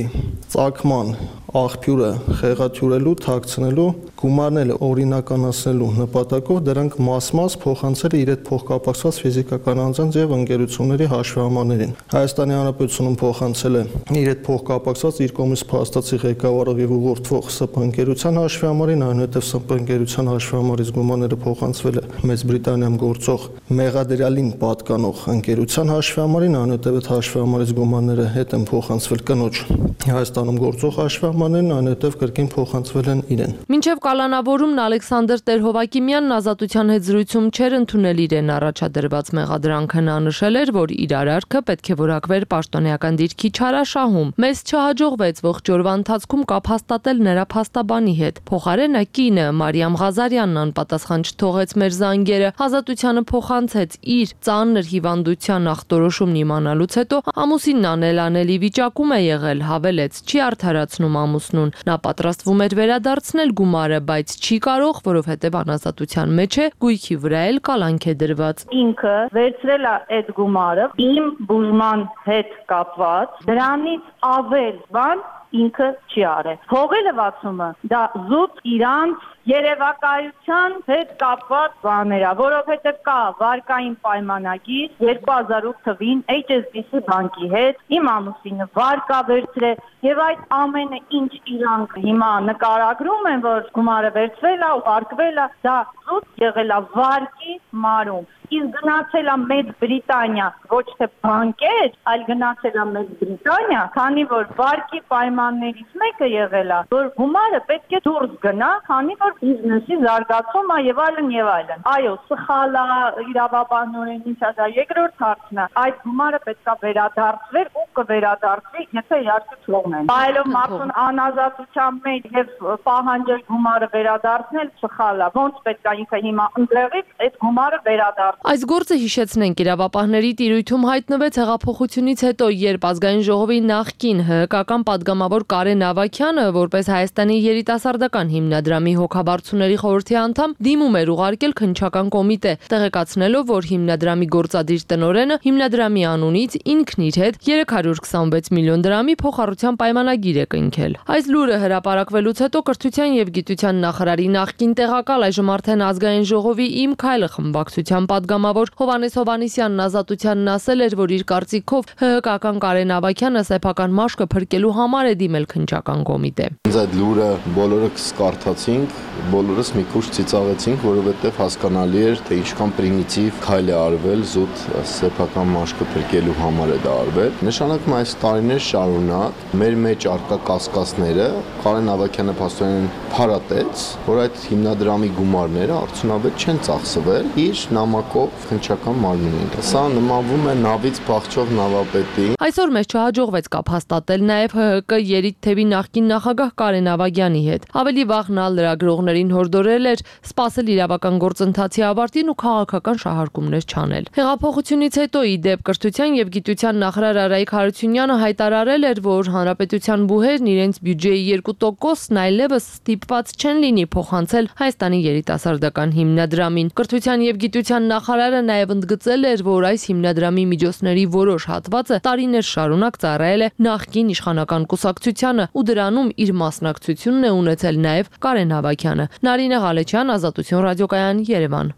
ծագման աղբյուրը խեղաթյուրելու, թաքցնելու, գումարները օրինականացնելու նպատակով դրանք մաս փոխանցել է իր հետ փոխկապակցված ֆիզիկական անձանց եւ ընկերությունների հաշվամարներին։ Հայաստանի Հանրապետությունում փոխանցել է իր հետ փոխկապակցված իր կողմից փաստացի ղեկավարող եւ ուղղորդվող ՍՊ ընկերության հաշվամարին, այնուհետեւ ՍՊ ընկերության հաշվամարից գումարները փոխանցվել է Մեծ Բրիտանիայում գործող մեղադրյալին պատկանող ընկերության հաշվամարին, այնուհետեւ այդ հաշվամարից գումարները հետ են փոխանցվել կնոջ Հայաստանում գործող հաշվամարներին, այնուհետեւ կրկին փոխանցվել են իրեն։ Մինչև կալանավորումն Ալեքսանդր Տեր-Հովակիմյանն Ազատության հետ զրույցում չէր ընդունել իրեն առաջադրված մեղադրանքը, նա նշել էր, որ իր արարքը պետք է որակվեր պաշտոնեական դիրքի չարաշահում։ Մեզ չհաջողվեց ողջ օրվա ընթացքում կապ հաստատել նրա փաստաբանի հետ։ Փոխարենը կինը Մարիամ Ղազարյանն անպատասխան չթողեց մեր զանգերը, Ազատությանը փոխանցեց իր ծանր հիվանդության ախտորոշումն իմանալուց հետո ամուսինն անելանելի վիճակում է եղել, հավելեց, չի արդարացնում ամուսնուն։ Նա պատրաստվում էր վերադարձնել գումարը, բայց չի կարող, որովհետև անազատության մեջ է, գույքի վրա էլ կալանք է դրված։ Ինքը վերցրել է այդ գումարը իմ բուժման հետ կապված, դրանից ավել բան ինքը չի արել։ Փողի լվացումը դա զուտ իրանց երևակայության հետ կապված բաներ է, որովհետև կա վարկային պայմանագիր 2008 թվին HSBC բանկի հետ, իմ ամուսինը վարկ է վերցրել եւ այդ ամենը ինչ իրանք հիմա նկարագրում են, որ գումարը վերցվել է, ուղարկվել է, դա զուտ եղել է վարկի մարում։ Իսկ գնացել է Մեծ Բրիտանիա, ոչ թե բանկեր, այլ գնացել է Մեծ Բրիտանիա, քանի որ վարկի պայմաններից մեկը եղել է, որ գումարը պետք է դուրս գնա, քանի որ բիզնեսի զարգացում է եւ այլն եւ այլն։ Այո, սխալ է, իրավաբանորեն ինչ է դա երկրորդ հարցն է։ Այդ գումարը պետք է վերադարձվեր ու կվերադարձվի, եթե իհարկե թողնեն։ Այլով մարդուն անազատության մեջ եւ պահանջել գումարը վերադարձնել սխալ է։ Ոնց պետք է ինքը հիմա ընդեղից այդ գումարը վերադարձ Այս գործը հիշեցնենք իրավապահների տիրույթում հայտնվեց հեղափոխությունից հետո, երբ ազգային ժողովի նախկին ՀՀԿ-ական падգամավոր Կարեն Ավագյանը, որպես Հայաստանի երիտասարդական հիմնադրամի հոգաբարձուների խորհրդի անդամ, դիմում էր ուղարկել քննչական կոմիտե, տեղեկացնելով, որ հիմնադրամի գործադիր տնօրենը հիմնադրամի անունից ինքն իր հետ 326 միլիոն դրամի փոխառության պայմանագիր է կնքել։ Այս լուրը հրապարակվելուց հետո կրթության եւ գիտության նախարարի նախկին տեղակալ, այժմ արդեն ազգային ժողովի Իմ քայլը խմբակցության падգամավոր Հովհաննես Հովհաննիսյանն Ազատությանն ասել էր, որ իր կարծիքով ՀՀԿ-ական Կարեն Ավագյանը սեփական մաշկը փրկելու համար է դիմել քննչական կոմիտե։ Այդ լուրը բոլորս կարդացինք, բոլորս մի քիչ ծիծաղեցինք, որովհետև հասկանալի էր, թե ինչքան պրիմիտիվ քայլ է արվել զուտ սեփական մաշկը փրկելու համար է դա արվել։ Նշանակում այս տարիներ շարունակ մեր մեջ արկա կասկածները Կարեն Ավագյանը փաստորեն փարատեց, որ այդ հիմնադրամի գումարները արդյունավետ չեն ծախսվել իր նամակով քննչական մարմնին։ Սա նմանվում է նավից փախչող նավապետի։ Այսօր մեզ չհաջողվեց կապ հաստատել նաև ՀՀԿ երիտ թևի նախկին նախագահ Կարեն Ավագյանի հետ։ Ավելի վաղ նա լրագրողներին հորդորել էր սպասել իրավական գործընթացի ավարտին ու քաղաքական շահարկումներ չանել։ Հեղափոխությունից հետո ի դեպ կրթության եւ գիտության նախարար Արայիկ Հարությունյանը հայտարարել էր, որ հանրապետության բուհերն իրենց բյուջեի 2%-ն այլևս ստիպված չեն լինի փոխանցել Հայաստանի երիտասարդական հիմնադրամին։ Կրթության եւ գիտության նախարարը նաև ընդգծել էր, որ այս հիմնադրամի միջոցների որոշ հատվածը տարիներ շարունակ ծառայել է նախկին իշխանական կուսակցությանը ու դրանում իր մասնակցությունն է ունեցել նաև Կարեն Ավագյանը։ Նարինե Ղալեչյան, Ազատություն ռադիոկայան, Երևան։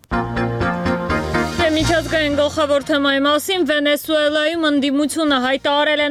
Միջազգային գլխավոր թեմայի մասին Վենեսուելայում ընդդիմությունը հայտարարել է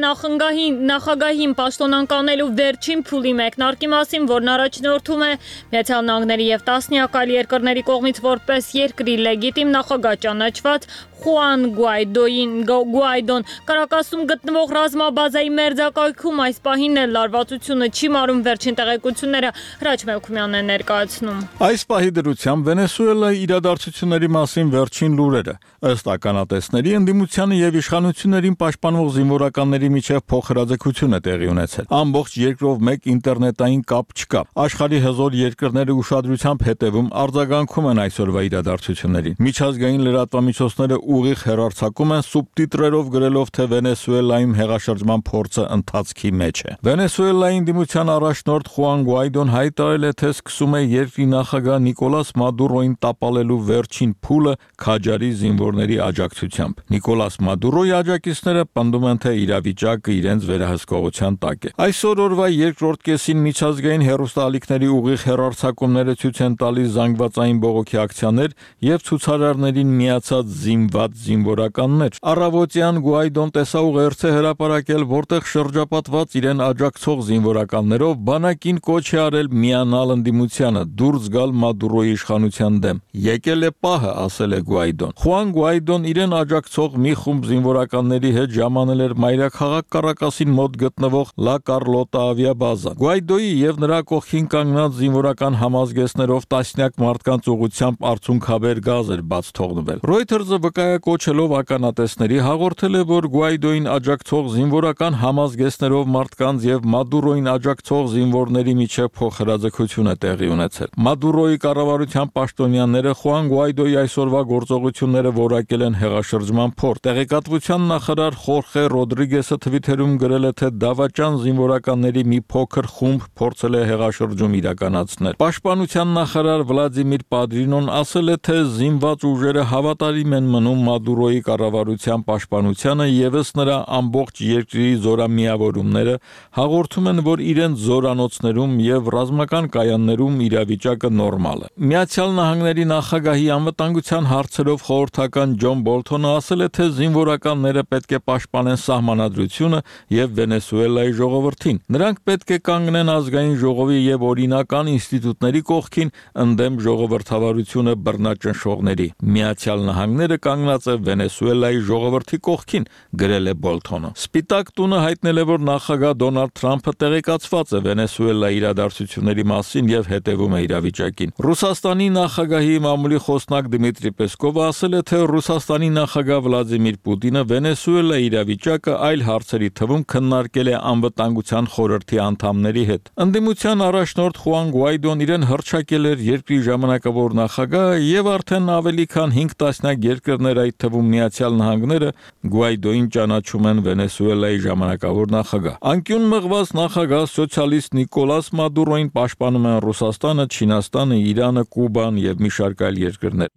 նախագահին պաշտոնանկանելու վերջին փուլի մեկնարկի մասին, որն առաջնորդում է Միացյալ Նահանգների եւ տասնյակ այլ երկրների կողմից որպես երկրի լեգիտիմ նախագահ ճանաչված Խուան Գուայդոն Կարակասում գտնվող ռազմաբազայի մերձակայքում այս պահին էլ լարվածությունը չի մարում, վերջին տեղեկությունները Հրաչ Մելքումյանն է ներկայացնում։ Այս պահի դրությամբ Վենեսուելայի իրադարձությունների մասին վերջին լուրերը ըստ ականատեսների ընդդիմությանը եւ իշխանություններին պաշտպանող զինվորականների միջև փոխհրաձգություն է տեղի ունեցել։ Ամբողջ երկրով մեկ ինտերնետային կապ չկա։ Աշխարհի հզոր երկրները ուշադրությամբ հետևում արձագանքում են այսօրվա իրադարձություններին։ Միջազգային լրատվամիջոցները ուղիղ հեռարձակում են սուբտիտրերով գրելով, թե Վենեսուելայում հեղաշրջման փորձը ընթացքի մեջ է։ Վենեսուելայի ընդդիմության առաջնորդ Խուան Գուայդոն հայտարարել է, թե սկսում է երկրի նախագահ Նիկոլաս Մադուրոին տապալելու վերջին փուլը քաջարի զինվորների աջակցությամբ։ Նիկոլաս Մադուրոյի աջակիցները պնդում են, թե իրավիճակը իրենց վերահսկողության տակ է։ Այսօր օրվա երկրորդ կեսին միջազգային հեռուստաալիքների ուղիղ հեռարձակումները ցույց են տալիս զանգվածային բողոքի ակցիաներ եւ ցուցարարներին միացած զինված զինվորականներ։ Առավոտյան Գուայդոն տեսաուղերձ է հրապարակել, որտեղ շրջապատված իրեն աջակցող զինվորականներով բանակին կոչ է արել միանալ ընդդիմությանը, դուրս գալ Մադուրոյի իշխանության դեմ։ Եկել է պահը, ասել է Գուայդոն։ Խուան Գուայդոն իրեն աջակցող մի խումբ զինվորականների հետ ժամանել էր մայրաքաղաք Կարակասին մոտ գտնվող Լա Կարլոտա ավիաբազա։ Գուայդոյի եւ նրա կողքին կանգնած զինվորական համազգեստներով տասնյակ մարդկանց ուղղությամբ արցունքաբեր գազ էր բաց թողնվել։ Reuters-ը վկայակոչելով ականատեսների հաղորդել է, որ Գուայդոյին աջակցող զինվորական համազգեստներով մարդկանց եւ Մադուրոյին աջակցող զինվորների միջև փոխհրաձգություն է տեղի ունեցել։ Մադուրոյի կառավարության պաշտոնյաները Խուան Գուայդոյի այսօրվա գործողությունները որակել են հեղաշրջման փորձ։ Տեղեկատվության նախարար Խորխե Ռոդրիգեսը Twitter-ում գրել է, թե դավաճան զինվորականների մի փոքր խումբ փորձել է հեղաշրջում իրականացնել։ Պաշտպանության նախարար Վլադիմիր Պադրինոն ասել է, թե զինված ուժերը հավատարիմ են մնում Մադուրոյի կառավարության պաշտպանությանը, եւս նրա ամբողջ երկրի զորամիավորումները հաղորդում են, որ իրենց զորանոցներում եւ ռազմական կայաններում իրավիճակը նորմալ է։ Միացյալ Նահանգների նախագահի անվտանգության հարցերով խորհրդական Ջոն Բոլթոնը ասել է, թե զինվորականները պետք է պաշտպանեն սահմանադրությունը եւ Վենեսուելայի ժողովրդին։ Նրանք պետք է կանգնեն ազգային ժողովի եւ օրինական ինստիտուտների կողքին ընդդեմ ժողովրդավարությունը բռնաճնշողների։ Միացյալ Նահանգները կանգնած է Վենեսուելայի ժողովրդի կողքին, գրել է Բոլթոնը։ Սպիտակ տունը հայտնել է, որ նախագահ Դոնալդ Թրամփը տեղեկացված է Վենեսուելայի իրադարձությունների մասին եւ հետևում է իրավիճակին։ Ռուսաստանի նախագահի մամուլի խոսնակ Դմիտրի Պեսկովը ասել է, թե Ռուսաստանի նախագահ Վլադիմիր Պուտինը Վենեսուելայի իրավիճակը այլ հարցերի թվում քննարկել է անվտանգության խորհրդի անդամների հետ։ Ընդդիմության առաջնորդ Խուան Գուայդոն իրեն հռչակել էր երկրի ժամանակավոր նախագահ եւ արդեն ավելի քան 5 տասնյակ երկրներ, այդ թվում Միացյալ Նահանգները, Գուայդոին ճանաչում են Վենեսուելայի ժամանակավոր նախագահ։ Անկյուն մղված նախագահ սոցիալիստ Նիկոլաս Մադուրոին պաշտպանում են Ռուսաստանը, Չինաստանը, Իրանը, Կուբան եւ մի շարք այլ երկրներ։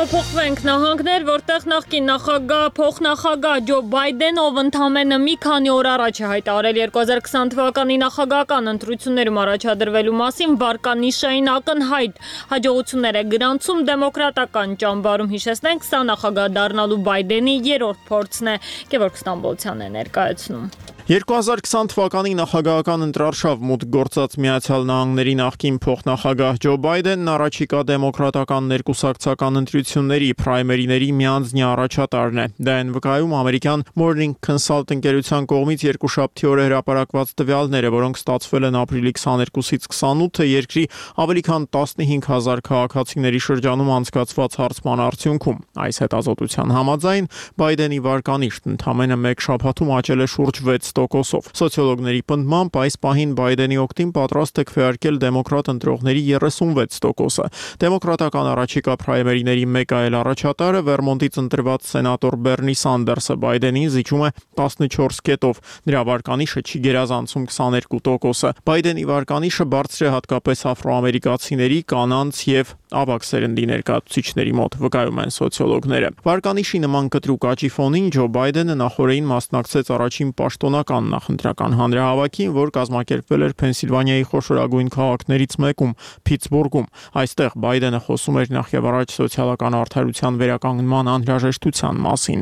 Փոխվենք նահանգներ, որտեղ նախկին նախագահ, փոխնախագահ Ջո Բայդենը, ով ընդամենը մի քանի օր առաջ է հայտարարել 2020 թվականի նախագահական ընտրություններում առաջադրվելու մասին, վարկանիշային ակնհայտ հաջողություններ է գրանցում դեմոկրատական ճամբարում։ Հիշեցնենք, սա նախագահ դառնալու Բայդենի երրորդ փորձն է, Գևորգ Ստամբոլցյանն է ներկայացնում։ 2020 թվականի նախագահական ընտրարշավ մուտք գործած Միացյալ Նահանգների նախկին փոխնախագահ Ջո Բայդենն առաջիկա դեմոկրատական ներկուսակցական ընտրությունների պրայմերիների միանձնյա առաջատարն է։ Դա են վկայում ամերիկյան Morning Consult ընկերության կողմից երկուշաբթի օրը հրապարակված տվյալները, որոնք ստացվել են ապրիլի 22-ից 28-ը երկրի ավելի քան 15000 քաղաքացիների շրջանում անցկացված հարցման արդյունքում։ Այս հետազոտության համաձայն Բայդենի վարկանիշն ընդամենը մեկ շաբաթում աճել է շուրջ 6%-ով։ Սոցիոլոգների պնդմամբ այս պահին Բայդենի օգտին պատրաստ է քվեարկել դեմոկրատ ընտրողների 36%-ը։ Դեմոկրատական առաջիկա պրայմերիների մեկ այլ առաջատարը Վերմոնտից ընտրված սենատոր Բերնի Սանդերսը Բայդենին զիջում է 14 կետով։ Նրա վարկանիշը չի գերազանցում 22%-ը։ Բայդենի վարկանիշը բարձր է հատկապես աֆրոամերիկացիների, կանանց եւ ավագ սերնդի ներկայացուցիչների մոտ, վկայում են սոցիոլոգները։ Վարկանիշի նման կտրուկ աճի ֆոնին Ջո Բայդենը նախորդին մասնակցեց առաջին պաշտոնական նախընտրական հանրահավաքին, որ կազմակերպվել էր Փենսիլվանիայի խոշորագույն քաղաքներից մեկում՝ Փիթսբուրգում։ Այստեղ Բայդենը խոսում էր նախ եւ առաջ սոցիալական արդարության վերականգնման անհրաժեշտության մասին։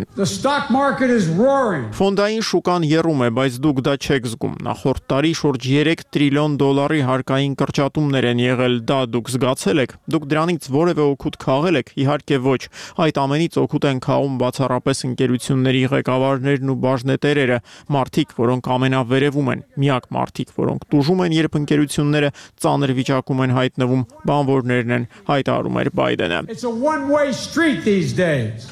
Ֆոնդային շուկան եռում է, բայց դուք դա չեք զգում։ Նախորդ տարի շուրջ 3 տրիլիոն դոլարի հարկային կրճատումներ են եղել, դա դուք զգացել եք։ Դուք դրանից որևէ օգուտ քաղել եք, իհարկե ոչ։ Այդ ամենից օգուտ են քաղում բացառապես ընկերությունների ղեկավարներն ու բաժնետերերը, մարդիկ, որոնք ամենավերևում են, միակ մարդիկ, որոնք տուժում են, երբ ընկերությունները ծանր վիճակում են հայտնվում, բանվորներն են, հայտարարում էր Բայդենը։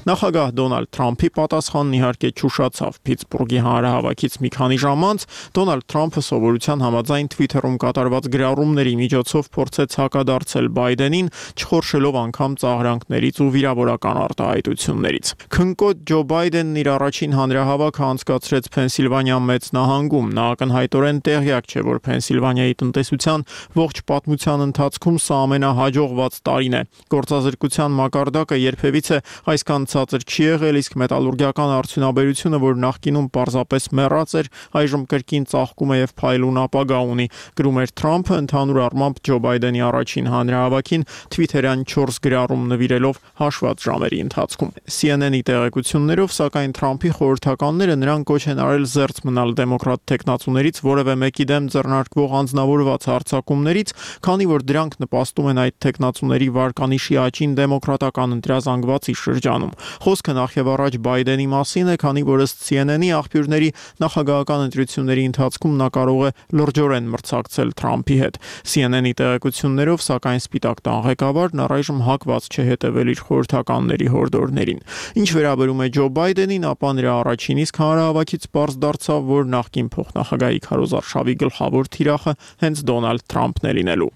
Նախագահ Դոնալդ Թրամփի պատասխանն իհարկե չուշացավ։ Փիթսբուրգի հանրահավաքից մի քանի ժամ անց Դոնալդ Թրամփը սովորության համաձայն Twitter-ում կատարված գրառումների միջոցով փորձեց հակադարձել Բայդենին, չխորշելով անգամ ծաղրանքներից ու վիրավորական արտահայտություններից։ Քնկոտ Ջո Բայդենն իր առաջին հանրահավաքը անցկացրեց Փենսիլվանիա մեծ նահանգում։ Նա ակնհայտորեն տեղյակ չէ, որ Փենսիլվանիայի տնտեսության ողջ պատմության ընթացքում սա ամենահաջողված տարին է։ Գործազրկության մակարդակը երբևիցե այսքան ցածր չի եղել, իսկ մետալուրգիական արդյունաբերությունը, որ նախկինում պարզապես մեռած էր, այժմ կրկին ծաղկում է եւ փայլուն ապագա ունի, գրում էր Թրամփը ընդհանուր առմամբ Ջո Բայդենի առաջին հանրահավաքին Twitter-յան 4 գրառում նվիրելով հաշված ժամերի ընթացքում։ CNN-ի տեղեկություններով, սակայն Թրամփի խորհրդականները նրան կոչ են արել զերծ մնալ դեմոկրատ տեխնացուներից որևէ մեկի դեմ ձեռնարկվող անձնավորված հարձակումներից, քանի որ դրանք նպաստում են այդ տեխնացուների վարկանիշի աճին դեմոկրատական ընտրազանգվածի շրջանում։ Խոսքը նախ եւ առաջ Բայդենի մասին է, քանի որ ըստ CNN-ի աղբյուրների նախագահական ընտրությունների ընթացքում նա կարող է լրջորեն մրցակցել Թրամփի հետ։ CNN-ի տեղեկություններով, սակայն Սպիտակ տան ղեկավարն առայժմ հակված չէ հետևել իր խորհրդականների հորդորներին։ Ինչ վերաբերում է Ջո Բայդենին, ապա նրա առաջին իսկ հանրահավաքից պարզ դարձավ, որ նախկին փոխնախագահի քարոզարշավի գլխավոր թիրախը հենց Դոնալդ Թրամփն է լինելու։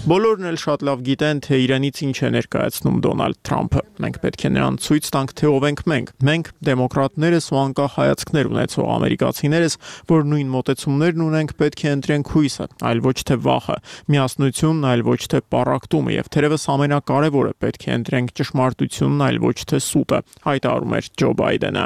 Բոլորն էլ շատ լավ գիտեն, թե իրենից ինչ է ներկայացնում Դոնալդ Թրամփը։ Մենք պետք է նրան ցույց տանք, թե ով ենք մենք։ Մենք դեմոկրատներս ու անկախ հայացքներ ունեցող ամերիկացիներս, որ նույն մոտեցումներն ունենք, պետք է ընտրենք հույսը, այլ ոչ թե վախը, միասնությունն, այլ ոչ թե պառակտումը, եւ թերևս ամենակարևորը պետք է ընտրենք ճշմարտությունն, այլ ոչ թե սուտը, հայտարարում էր Ջո Բայդենը։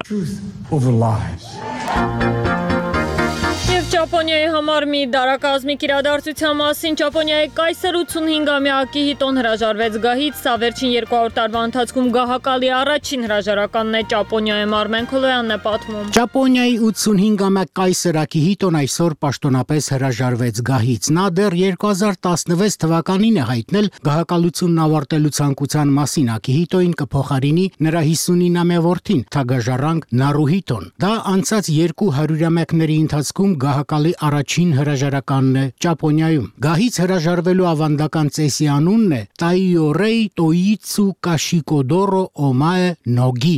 Եվ Ճապոնիայի համար մի դարակազմիկ իրադարձության մասին Ճապոնիայի կայսր 85-ամյակի հիտոն հրաժարվեց գահից, սա վերջին 200 տարվա ընթացքում գահակալի առաջին հրաժարականն է Ճապոնիայում, Արմեն Քոլոյանն է պատմում։ Ճապոնիայի 85-ամյա կայսր Ակիհիտոն այսօր պաշտոնապես հրաժարվեց գահից։ Նա դեռ 2016 թվականին է հայտնել գահակալությունն ավարտելու ցանկության մասին։ Ակիհիտոին կփոխարինի նրա 59-ամյա որդին, թագաժառանգ Նարուհիտոն։ Դա անցած 200-ամյակների ընթացքում գահակալ տոննակալի առաջին հրաժարականն է Ճապոնիայում։ Գահից հրաժարվելու ավանդական ծեսի անունն է Տայորեի Տոիցու Կաշիկոդորո Օմաե Նոգի։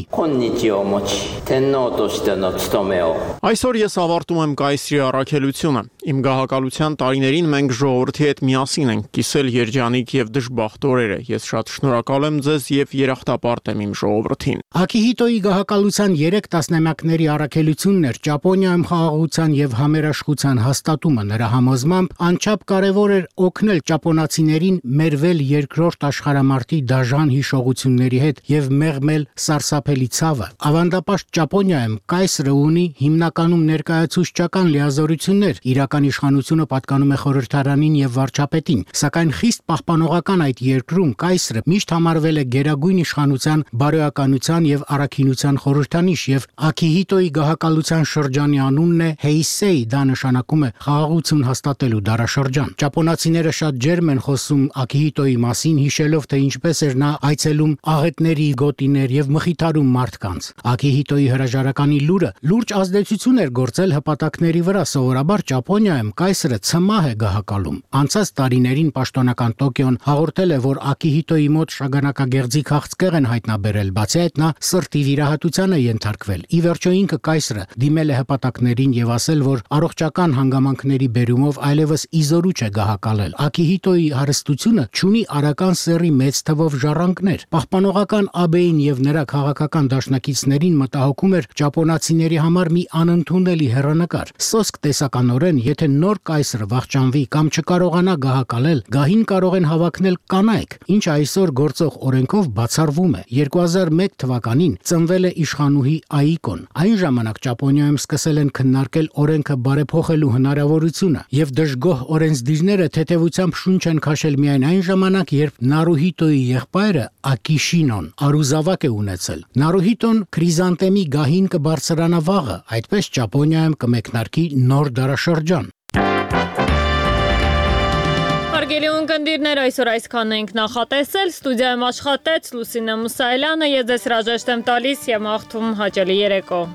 Այսօր ես ավարտում եմ կայսրի առաքելությունը։ Իմ գահակալության տարիներին մենք ժողովրդի հետ միասին ենք կիսել երջանիկ եւ դժբախտ օրերը։ Ես շատ շնորհակալ եմ ձեզ եւ երախտապարտ եմ իմ ժողովրդին։ Ակիհիտոյի գահակալության 3 տասնամյակների առաքելությունն էր Ճապոնիայում խաղաղության եւ համերաշխության հաստատումը։ Նրա համոզմամբ անչափ կարևոր էր օգնել ճապոնացիներին մերվել երկրորդ աշխարհամարտի դաժան հիշողությունների հետ եւ մեղմել սարսափելի ցավը։ Ավանդապաշտ Ճապոնիայում կայսրը ունի հիմնականում ներկայացուցչական լիազորություններ։ Իրական իշխանությունը պատկանում է խորհրդարանին եւ վարչապետին, սակայն խիստ պահպանողական այդ երկրում կայսրը միշտ համարվել է գերագույն իշխանության, բարոյականության եւ առաքինության խորհրդանիշ եւ Ակիհիտոյի գահակալության շրջանի անունն է Հեյսեի, դա նշանակում է խաղաղություն հաստատելու դարաշրջան։ Ճապոնացիները շատ ջերմ են խոսում Ակիհիտոյի մասին, հիշելով թե ինչպես էր նա այցելում աղետների գոտիներ եւ մխիթարում մարդկանց։ Ակիհիտոյի հրաժարականի լուրը լուրջ ազդեցություն էր գործել հպատակների վրա, սովորաբար Ճապոնիայում կայսրը ցմահ է գահակալում։ Անցած տարիներին պաշտոնական Տոկիոն հաղորդել է, որ Ակիհիտոյի մոտ շագանակագեղձի քաղցկեղ են հայտնաբերել, բացի այդ նա սրտի վիրահատության է ենթարկվել։ Ի վերջո ինքը կայսրը դիմել է հպատակներին եւ ասել, որ առողջական հանգամանքների բերումով այլևս իզորուչ է գահակալել։ Ակիհիտոյի հարստությունը չունի արական սեռի մեծ թվով ժառանգներ։ Պահպանողական ԱԲ-ին եւ նրա քաղաքական դաշնակիցներին մտահոգում էր ճապոնացիների համար մի անընդունելի հեռանկար։ Սոսկ տեսականորեն, եթե նոր կայսրը վախճանվի կամ չկարողանա գահակալել, գահին կարող են հավակնել կանայք, ինչը այսօր գործող օրենքով բացառվում է։ 2001 թվականին ծնվել է իշխանուհի Աիկոն։ Այն ժամանակ Ճապոնիայում սկսել են քննարկել օրենքը բարեփոխելու հնարավորությունը եւ դժգոհ օրենսդիրները թեթևությամբ շունչ են քաշել միայն այն ժամանակ, երբ Նարուհիտոյի եղբայրը Ակիշինոն արուզավակ է ունեցել։ Նարուհիտոն քրիզանտեմի գահին կբարձրանա վաղը, այդպես Ճապոնիայում կմեկնարկի նոր դարաշրջան։ Հարգելի ունկնդիրներ, այսօր այսքանն ենք նախատեսել, ստուդիայում աշխատեց Լուսինե Մուսայելյանը, ես ձեզ հրաժեշտ եմ տալիս եւ մաղթում հաճելի երեկո։